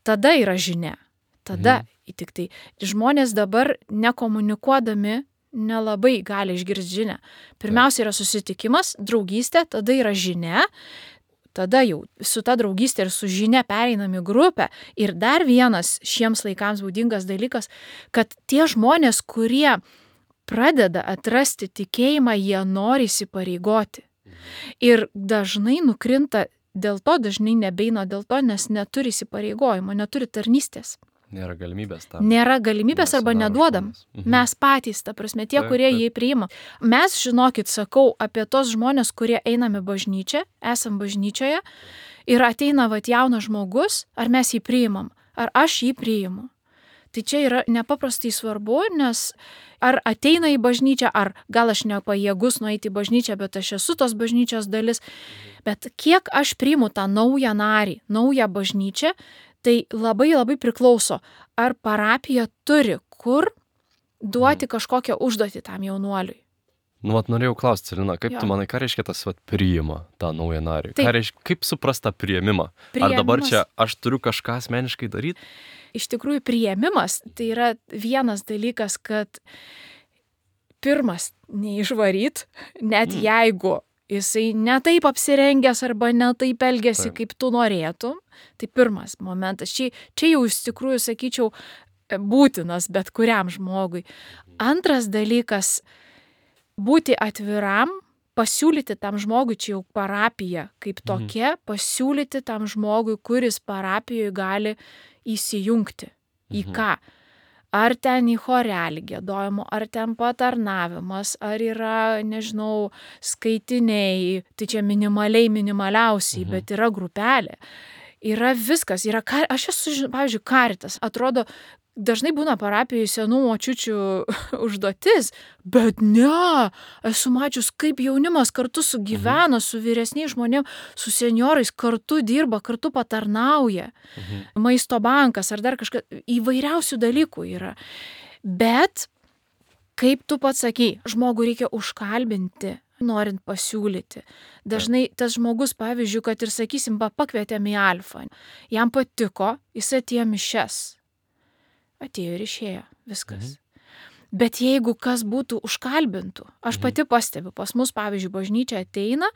Speaker 2: tada yra žinia. Tada mhm. tik tai žmonės dabar nekomunikuodami nelabai gali išgirsti žinią. Pirmiausia yra susitikimas, draugystė, tada yra žinia. Tada jau su ta draugystė ir su žinia pereinam į grupę. Ir dar vienas šiems laikams būdingas dalykas, kad tie žmonės, kurie pradeda atrasti tikėjimą, jie nori įsipareigoti. Ir dažnai nukrinta dėl to, dažnai nebeina dėl to, nes neturi įsipareigojimo, neturi tarnystės.
Speaker 1: Nėra galimybės tam.
Speaker 2: Nėra galimybės arba neduodam. Mhm. Mes patys, ta prasme, tie, kurie jį priima. Mes, žinokit, sakau apie tos žmonės, kurie einame bažnyčią, esam bažnyčioje ir ateina vat jaunas žmogus, ar mes jį priimam, ar aš jį priimu. Tai čia yra nepaprastai svarbu, nes ar ateina į bažnyčią, ar gal aš nepajėgus nueiti į bažnyčią, bet aš esu tos bažnyčios dalis. Bet kiek aš priimu tą naują narį, naują bažnyčią, tai labai labai priklauso, ar parapija turi kur duoti kažkokią užduotį tam jaunuoliui.
Speaker 1: Nu, vat norėjau klausti, Celina, kaip jo. Tu manai, ką reiškia tas vat priima tą naują narį? Ką reiškia, kaip suprast tą priėmimą? Priėmimas. Ar dabar čia aš turiu kažką asmeniškai daryti?
Speaker 2: Iš tikrųjų, priėmimas tai yra vienas dalykas, kad pirmas neišvaryt, net mm. jeigu jisai netaip apsirengęs arba netaip elgėsi, taip. Kaip tu norėtum. Tai pirmas momentas. Čia, čia jau iš tikrųjų, sakyčiau, būtinas bet kuriam žmogui. Antras dalykas - būti atviram, pasiūlyti tam žmogui, čia jau parapija kaip tokia, mhm. pasiūlyti tam žmogui, kuris parapijoje gali įsijungti. Į mhm. ką? Ar ten į chorelį giedojimo, ar ten patarnavimas, ar yra, nežinau, skaitiniai, tai čia minimaliai, minimaliausiai, mhm. bet yra grupelė. Yra viskas. Yra, aš esu, pavyzdžiui, karitas. Atrodo, dažnai būna parapijoje senų močiučių užduotis, bet ne, esu mačius, kaip jaunimas kartu sugyvena, mhm. su vyresniais žmonėmis, su seniorais, kartu dirba, kartu patarnauja. Mhm. Maisto bankas ar dar kažkas, įvairiausių dalykų yra. Bet, kaip tu pats sakei, žmogų reikia užkalbinti, norint pasiūlyti. Dažnai tas žmogus, pavyzdžiui, kad ir sakysim, pakvietėm į alfą, jam patiko, jis atėjo mišias. Atėjo ir išėjo, viskas. Mhm. Bet jeigu kas būtų užkalbintų, aš mhm. pati pastebiu, pas mus, pavyzdžiui, bažnyčia ateina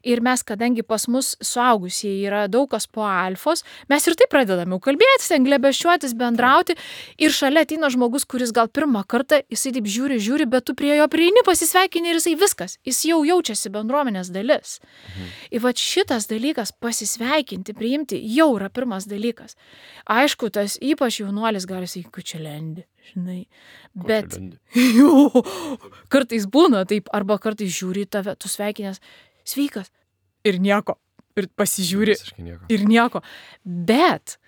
Speaker 2: ir mes, kadangi pas mus suaugusieji yra daug kas po alfos, mes ir taip pradedame kalbėtis, ten glebesčiuotis, bendrauti ir šalia ateina žmogus, kuris gal pirmą kartą, jisai taip žiūri, žiūri, bet tu prie jo prieini, pasisveikini ir jisai viskas, jis jau jaučiasi bendruomenės dalis. Mhm. Ir va šitas dalykas, pasisveikinti, priimti, jau yra pirmas dalykas. Aišku, tas ypač jaunuolis gali sakyti, kad čia lendi. Žinai, bet jo, kartais būna taip, arba kartais žiūri tave, tu sveikinęs, sveikas, ir nieko, ir pasižiūri, nieko. ir nieko. Bet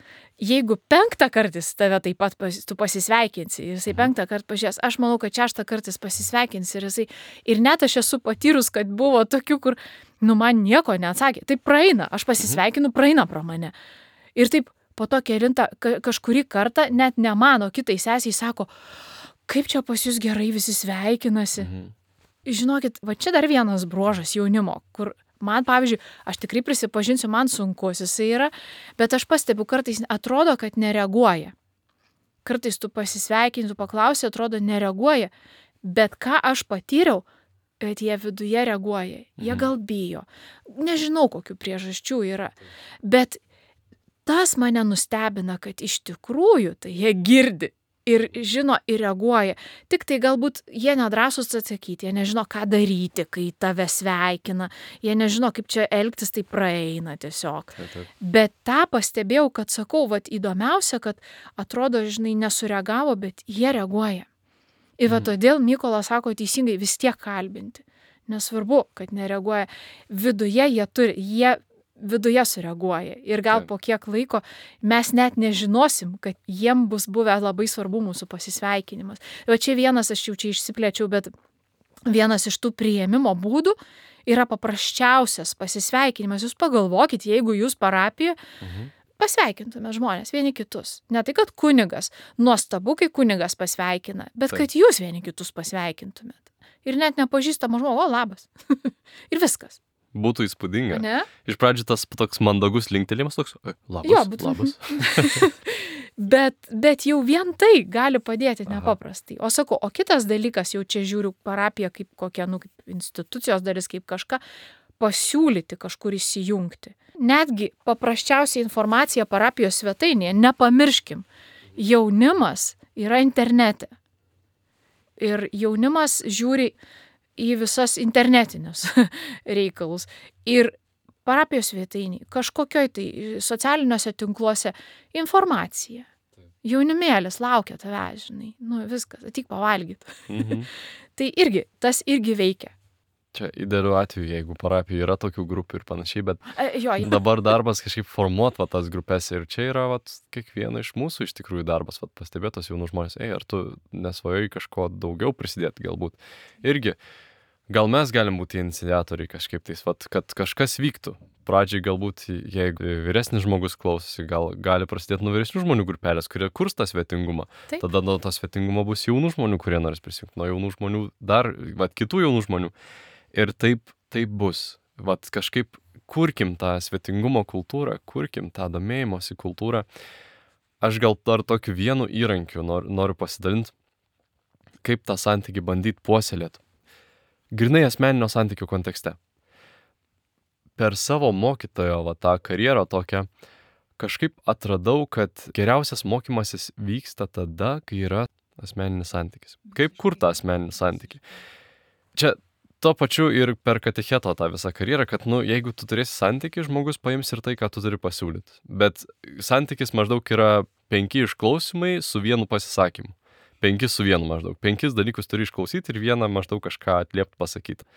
Speaker 2: jeigu penktą kartais tave taip pat pas, tu pasisveikinsi, ir jisai mhm. penktą kartą pažiūrės, aš manau, kad šeštą kartais pasisveikinsi, ir jisai, ir net aš esu patyrus, kad buvo tokių, kur, nu, man nieko neatsakė, taip praeina, aš pasisveikinu, praeina pro mane. Ir taip po to kelintą ka- kažkurį kartą net nemano kitai sesiai, sako, kaip čia pas jūs gerai visi sveikinasi.
Speaker 1: Mhm.
Speaker 2: Žinokit, va čia dar vienas bruožas jaunimo, kur man, pavyzdžiui, aš tikrai prisipažinsiu, man sunkus jisai yra, bet aš pastebiu, kartais atrodo, kad nereaguoja. Kartais tu pasisveikini, tu paklausi, atrodo, nereaguoja, bet ką aš patyriau, kad jie viduje reaguoja. Jie
Speaker 1: Mhm.
Speaker 2: gal bijo. Nežinau, kokių priežasčių yra. Bet tas mane nustebina, kad iš tikrųjų tai jie girdi ir žino ir reaguoja. Tik tai galbūt jie nedrąsūs atsakyti, jie nežino, ką daryti, kai tave sveikina. Jie nežino, kaip čia elgtis, tai praeina tiesiog.
Speaker 1: Taip, taip.
Speaker 2: Bet tą pastebėjau, kad sakau, vat įdomiausia, kad atrodo, žinai, nesureagavo, bet jie reaguoja. Ir va
Speaker 1: Mhm.
Speaker 2: todėl Mykolas sako teisingai vis tiek kalbinti. Nesvarbu, kad nereaguoja. Viduje jie turi, jie viduje sureaguoja. Ir gal
Speaker 1: Taip.
Speaker 2: po kiek laiko mes net nežinosim, kad jiem bus buvę labai svarbu mūsų pasisveikinimas. Va čia vienas, aš jau čia išsiplėčiau, bet vienas iš tų priėmimo būdų yra paprasčiausias pasisveikinimas. Jūs pagalvokit, jeigu jūs parapijoje
Speaker 1: Mhm.
Speaker 2: pasveikintume žmonės vieni kitus. Ne tai, kad kunigas, nuostabu, kai kunigas pasveikina, bet
Speaker 1: Taip.
Speaker 2: kad jūs vieni kitus pasveikintumėt. Ir net nepažįstama žmogų, o labas. Ir viskas.
Speaker 1: Būtų įspūdinga.
Speaker 2: Ne?
Speaker 1: Iš pradžių tas toks mandagus linktelėjimas toks, "Oi, labas,
Speaker 2: Jo, būtų-
Speaker 1: labas.
Speaker 2: Bet, bet jau vien tai gali padėti
Speaker 1: Aha.
Speaker 2: nepaprastai. O sakau, o kitas dalykas, jau čia žiūriu parapiją kaip kokia, nu, kaip institucijos dalis, kaip kažką, pasiūlyti kažkur įsijungti. Netgi paprasčiausia informacija parapijos svetainėje, nepamirškim, jaunimas yra internete. Ir jaunimas žiūri į visas internetinius reikalus. Ir parapijos svetainiai, kažkokioj tai socialiniuose tinkluose informacija. Jaunimėlis laukia tave, žinai. Nu viskas, ateik pavalgyti.
Speaker 1: Mhm.
Speaker 2: Tai irgi, tas irgi veikia.
Speaker 1: Čia idealiu atveju, jeigu parapijoje yra tokių grupių ir panašiai, bet
Speaker 2: E, Jo,
Speaker 1: dabar darbas kažkaip formuot va, tas grupės ir čia yra va, kiekvieno iš mūsų iš tikrųjų darbas, va, pastebėtos jaunų žmonės, ei, ar tu nesvajojai kažko daugiau prisidėti galbūt. Irgi, gal mes galim būti iniciatoriai kažkaip tais, va, kad kažkas vyktų. Pradžiai galbūt, jeigu vyresnis žmogus klausosi, gal gali prasidėti nuo vyresnių žmonių grupelės, kurie kurs tą svetingumą.
Speaker 2: Taip.
Speaker 1: Tada nuo to svetingumo bus jaunų žmonių, kurie norės prisijungti, nuo jaunų žmonių dar, va, kitų jaunų žmonių. Ir taip, taip bus. Vat kažkaip kurkim tą svetingumo kultūrą, kurkim tą domėjimosi kultūrą. Aš gal dar tokiu vienu įrankiu noriu, noriu pasidalinti, kaip tą santykį bandyti puoselėti. Grinai asmeninio santykio kontekste. Per savo mokytojo va, tą karjerą tokią kažkaip atradau, kad geriausias mokymasis vyksta tada, kai yra asmeninis santykis. Kaip kur tą asmeninį santykį? Čia tuo pačiu ir per katecheto tą visą karjerą, kad, nu, jeigu tu turėsi santykį, žmogus paims ir tai, ką tu turi pasiūlyti. Bet santykis maždaug yra penki išklausimai su vienu pasisakymu. Penki su vienu maždaug. Penkis dalykus turi išklausyti ir vieną maždaug kažką atliepti pasakyti.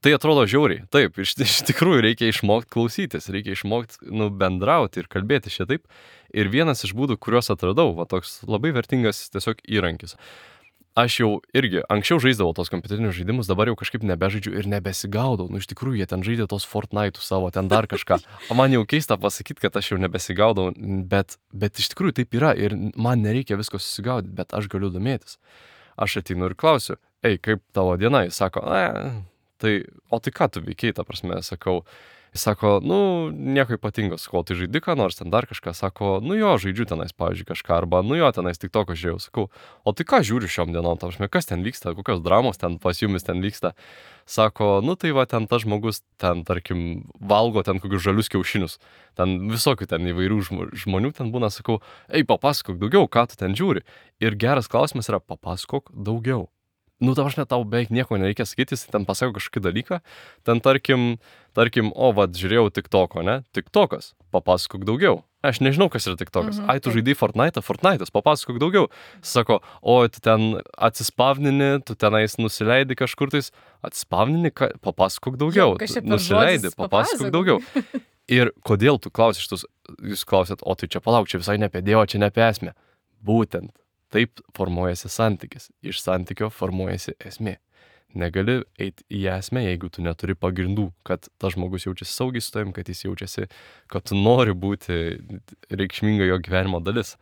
Speaker 1: Tai atrodo žiauriai. Taip, iš, iš tikrųjų reikia išmokti klausytis, reikia išmokti, nu, bendrauti ir kalbėti šitaip. Ir vienas iš būdų, kuriuos atradau, va toks labai vertingas tiesiog įrankis. Aš jau irgi anksčiau žaisdavau tos kompiuterinius žaidimus, dabar jau kažkaip nebežaidžiu ir nebesigaudau. Nu, iš tikrųjų, jie ten žaidė tos Fortnite'ų savo, ten dar kažką. O man jau keista pasakyti, kad aš jau nebesigaudau, bet, bet iš tikrųjų taip yra ir man nereikia visko susigaudyti, bet aš galiu domėtis. Aš ateinu ir klausiu, ei, kaip tavo diena? Jis sako, ne, tai, o tai ką tu veikiai, ta prasme, sakau. Jis sako, nu, nieko ypatingo, sakau, tai žaidi ką nors, ten dar kažką, sako, nu jo, žaidžiu tenais, pavyzdžiui, kažką, arba, nu jo, tenais tik toko žiūrėjau, sakau, o tai ką žiūri šiom dienom, ta prasme, kas ten vyksta, kokios dramos ten pas jumis ten vyksta. Sako, nu tai va, ten tas žmogus, ten, tarkim, valgo ten kokius žalius kiaušinius, ten visokių ten įvairių žmonių ten būna, sakau, ei, papasakok daugiau, ką tu ten žiūri. Ir geras klausimas yra, papasakok daugiau. Nu, ta prasme, tau beveik nieko nereikia sakyti, jis ten pasako kažkokį dalyką, ten tarkim, tarkim, o, vad, žiūrėjau TikToko, ne? TikTokas, papasakok daugiau. Aš nežinau, kas yra TikTokas.
Speaker 2: Mhm,
Speaker 1: Ai, tu žaidai Fortnite, Fortnite'as, papasakok daugiau. Sako, o, tu ten atsispavnini, tu tenais nusileidi kažkur tais, atsispavnini, ka... papasakok daugiau.
Speaker 2: Jo, kas čia per
Speaker 1: Nusileidi,
Speaker 2: žodis,
Speaker 1: papasakok
Speaker 2: papasakok.
Speaker 1: daugiau. Ir kodėl tu klausi šitus, jūs klausėt, o tai čia palauk, čia visai ne apie Dievą, čia ne apie esmę. Būtent. Taip formuojasi santykis. Iš santykio formuojasi esmė. Negali eiti į esmę, jeigu tu neturi pagrindų, kad tas žmogus jaučiasi saugiai su tavim, kad jis jaučiasi, kad tu nori būti reikšminga jo gyvenimo dalis.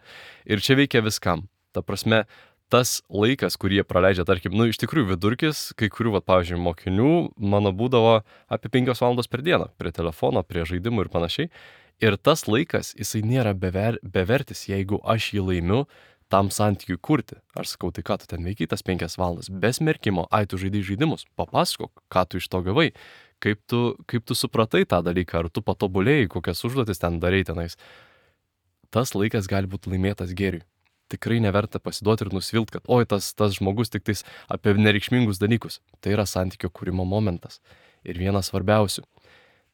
Speaker 1: Ir čia veikia viskam. Ta prasme, tas laikas, kurį jie praleidžia, tarkim, nu, iš tikrųjų vidurkis, kai kurių, va, pavyzdžiui, mokinių, mano būdavo apie penkios valandos per dieną, prie telefono, prie žaidimų ir panašiai. Ir tas laikas, jisai nėra bever, bevertis, jeigu aš jį laimiu tam santykiui kurti. Aš sakau, tai ką tu ten veikiai tas penkias valandas, be smerkimo, ai tu žaidai žaidimus, papasakok, ką tu iš to gavai, kaip tu, kaip tu supratai tą dalyką, ar tu patobulėjai, kokias užduotis ten darai tenais. Tas laikas gali būti laimėtas gėriui. Tikrai neverta pasiduoti ir nusivilt, kad oi, tas, tas žmogus tik tais apie nereikšmingus dalykus. Tai yra santykio kūrimo momentas. Ir vienas svarbiausių.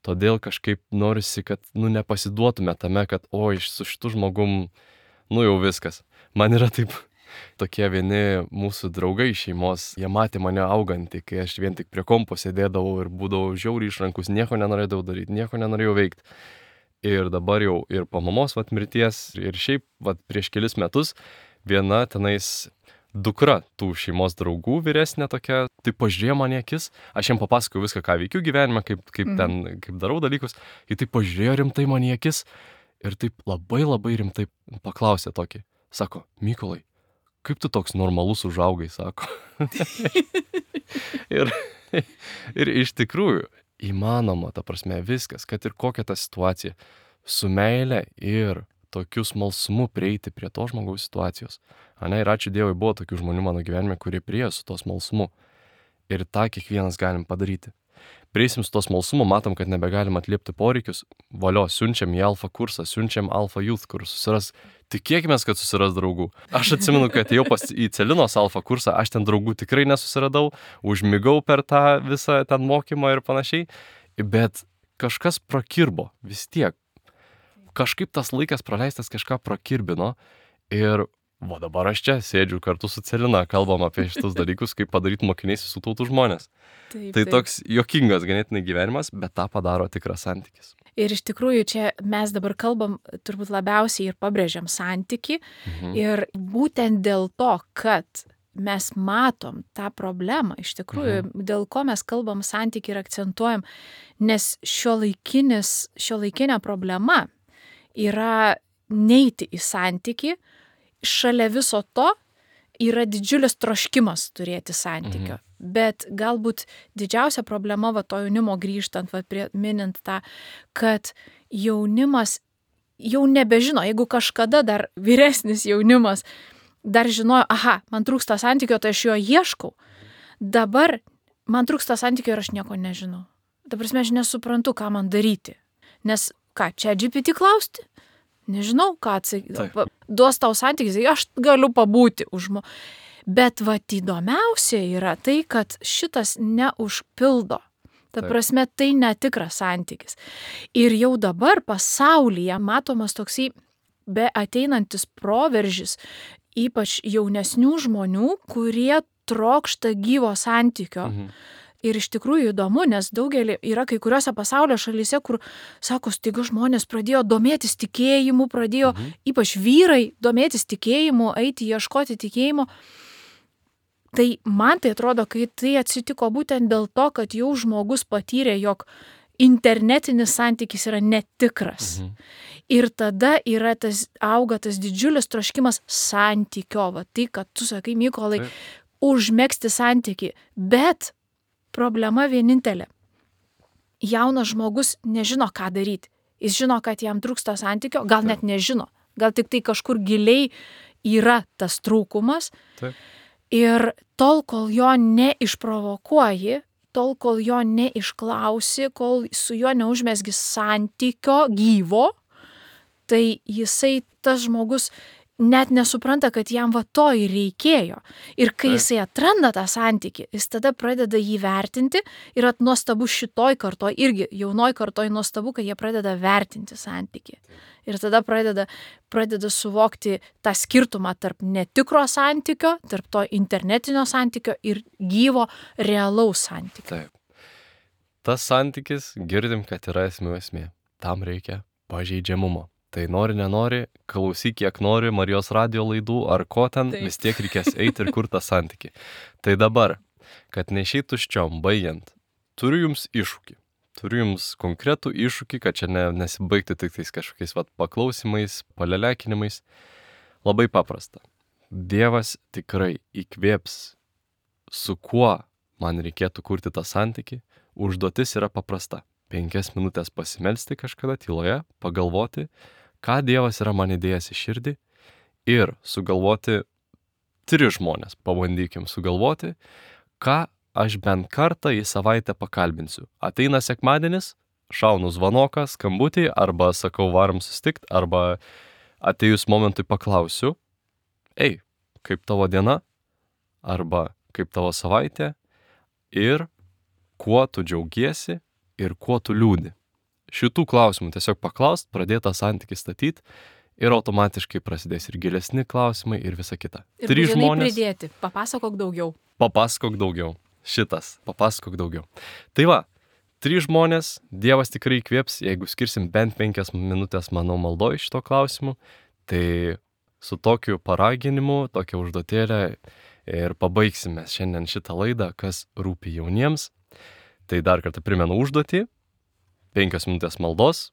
Speaker 1: Todėl kažkaip norisi, kad, nu, nepasiduotume tame, kad oi, su šitu žmogum, nu, jau viskas. Man yra taip, tokie vieni mūsų draugai šeimos, jie matė mane augantį, kai aš vien tik prie kompo sėdėdavau ir būdavau žiauriai išrankus, nieko nenorėdavau daryti, nieko nenorėjau veikti. Ir dabar jau ir po mamos vat mirties, ir šiaip vat prieš kelis metus viena tenais dukra tų šeimos draugų vyresnė tokia, tai pažiūrėjo man į akis, aš jam papasakojau viską, ką veikiu gyvenime, kaip, kaip
Speaker 2: Mhm.
Speaker 1: ten, kaip darau dalykus, ji tai pažiūrėjo rimtai man į akis ir taip labai labai rimtai paklausė tokį, sako, Mykolai, kaip tu toks normalus užaugai, sako. ir, ir iš tikrųjų, įmanoma, ta prasme, viskas, kad ir kokia ta situacija, su meile ir tokiu smalsumu prieiti prie to žmogaus situacijos. Ane, ir ačiū Dievui, buvo tokių žmonių mano gyvenime, kurie priėjo su to smalsumu. Ir tą kiekvienas galim padaryti. Prieisim su to smalsumu, matom, kad nebegalim atliepti poreikius, valio, siunčiam į alfa kursą, siunčiam alfa youth, kur susiras, tikėkimės, kad susiras draugų. Aš atsimenu, kad jau pas į Celinos alfa kursą, aš ten draugų tikrai nesusiradau, užmigau per tą visą ten mokymą ir panašiai, bet kažkas prakirbo vis tiek. Kažkaip tas laikas praleistas kažką prakirbino ir va dabar aš čia sėdžiu kartu su Celina, kalbam apie šitus dalykus, kaip padaryti mokiniais visų tautų žmonės.
Speaker 2: Taip,
Speaker 1: Tai
Speaker 2: taip.
Speaker 1: toks juokingas ganėtinai gyvenimas, bet tą padaro tikras santykis.
Speaker 2: Ir iš tikrųjų čia mes dabar kalbam turbūt labiausiai ir pabrėžiam santykį.
Speaker 1: Mhm.
Speaker 2: Ir būtent dėl to, kad mes matom tą problemą, iš tikrųjų,
Speaker 1: Mhm.
Speaker 2: dėl ko mes kalbam santykį ir akcentuojam, nes šiuolaikinis, šiuolaikinė problema yra neiti į santykį, šalia viso to yra didžiulis troškimas turėti santykio.
Speaker 1: Mhm.
Speaker 2: Bet galbūt didžiausia problema, va to jaunimo grįžtant, va prie, minint tą, kad jaunimas jau nebežino, jeigu kažkada dar vyresnis jaunimas dar žinojo, aha, man trūksta santykio, tai aš jo ieškau. Dabar man trūksta santykio ir aš nieko nežinau. Ta prasme, aš nesuprantu, ką man daryti. Nes ką, čia G P T klausti? Nežinau, ką atsakyti.
Speaker 1: Taip.
Speaker 2: Duos tau santykis, aš galiu pabūti už mo. Bet va įdomiausia yra tai, kad šitas neužpildo. Ta
Speaker 1: Taip.
Speaker 2: prasme, tai netikras santykis. Ir jau dabar pasaulyje matomas toksai be ateinantis proveržis, ypač jaunesnių žmonių, kurie trokšta gyvo santykio.
Speaker 1: Mhm.
Speaker 2: Ir iš tikrųjų įdomu, nes daugelį yra kai kuriuose pasaulio šalyse, kur, sako, staiga žmonės pradėjo domėtis tikėjimu, pradėjo,
Speaker 1: Mhm.
Speaker 2: ypač vyrai, domėtis tikėjimu, eiti ieškoti tikėjimo. Tai man tai atrodo, kai tai atsitiko būtent dėl to, kad jau žmogus patyrė, jog internetinis santykis yra netikras.
Speaker 1: Mhm.
Speaker 2: Ir tada yra tas, auga tas didžiulis troškimas santykio, va tai, kad tu sakai, Mykolai,
Speaker 1: Taip.
Speaker 2: užmegzti santykį, bet problema vienintelė. Jaunas žmogus nežino, ką daryti. Jis žino, kad jam trūksta santykio, gal net nežino. Gal tik tai kažkur giliai yra tas trūkumas.
Speaker 1: Taip.
Speaker 2: Ir tol, kol jo neišprovokuoji, tol, kol jo neišklausi, kol su juo neužmesgi santykio gyvo, tai jisai, tas žmogus, net nesupranta, kad jam va to ir reikėjo. Ir kai
Speaker 1: Taip.
Speaker 2: jisai atranda tą santykį, jis tada pradeda jį vertinti ir nuostabu šitoj kartoj, irgi jaunoj kartoj nuostabu, kad jie pradeda vertinti santykį. Ir tada pradeda, pradeda suvokti tą skirtumą tarp netikro santykio, tarp to internetinio santykio ir gyvo, realaus santykio.
Speaker 1: Taip. Tas santykis, girdim, kad yra esmių esmė. Tam reikia pažeidžiamumo. Tai nori, nenori, klausyk kiek nori Marijos radijo laidų ar ko ten,
Speaker 2: Taip.
Speaker 1: vis tiek reikės eiti ir kurti tą santykį. Tai dabar, kad neišeitų tuščiom baigiant. Turiu jums iššūkį. Turiu jums konkretų iššūkį, kad čia ne, nesibaigti tik tais kažkokiais vat, paklausimais, palelekinimais. Labai paprasta. Dievas tikrai įkvėps, su kuo man reikėtų kurti tą santykį. Užduotis yra paprasta. Penkias minutės pasimelsti kažkada tyloje, pagalvoti, ką Dievas yra man įdėjęs į širdį ir sugalvoti tris žmonės. Pabandykim sugalvoti, ką aš bent kartą į savaitę pakalbinsiu. Ateina sekmadienis, šaunu zvanoką, skambutį, arba sakau varom susitikt, arba atėjus momentui paklausiu, ei, kaip tavo diena, arba kaip tavo savaitė ir kuo tu džiaugiesi ir kuo tu liūdi. Šitų klausimų tiesiog paklaust, pradėtą santykį statyti ir automatiškai prasidės ir gilesni klausimai ir visa kita.
Speaker 2: Ir
Speaker 1: Trys
Speaker 2: būtinai
Speaker 1: žmonės.
Speaker 2: pridėti, papasakok daugiau.
Speaker 1: Papasakok daugiau. Šitas, papasakok daugiau. Tai va, trys žmonės, Dievas tikrai įkvėps, jeigu skirsim bent penkias minutės, manau, maldoj šito klausimu, tai su tokiu paraginimu, tokia užduotėlė ir pabaigsime šiandien šitą laidą, kas rūpi jauniems. Tai dar kartą primenu užduotį, penkios minutės maldos,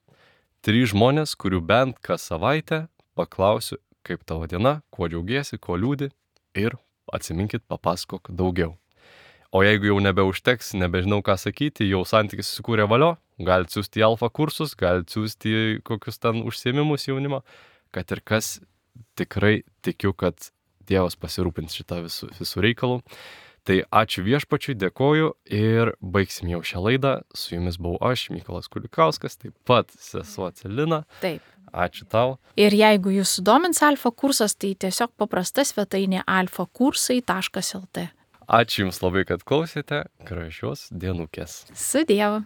Speaker 1: trys žmonės, kurių bent kas savaitę paklausiu, kaip tavo diena, kuo džiaugiesi, kuo liūdi ir atsiminkit, papasakok daugiau. O jeigu jau nebeužteks, nebežinau ką sakyti, jau santykis susikūrė valio, galite siūsti į alfa kursus, galite siūsti kokius ten užsiėmimus jaunimo, kad ir kas, tikrai tikiu, kad Dievas pasirūpins šitą visų, visų reikalų. Tai ačiū viešpačiui, dėkoju ir baigsim jau šią laidą. Su jumis buvau aš, Mykolas Kulikauskas, taip pat sesuo Celina.
Speaker 2: Taip.
Speaker 1: Ačiū tau.
Speaker 2: Ir jeigu jūs sudomins alfa kursas, tai tiesiog paprasta svetainė alfa kursai taškas el tė.
Speaker 1: Ačiū jums labai, kad klausėte. Gražios dienukės.
Speaker 2: Su Dievu.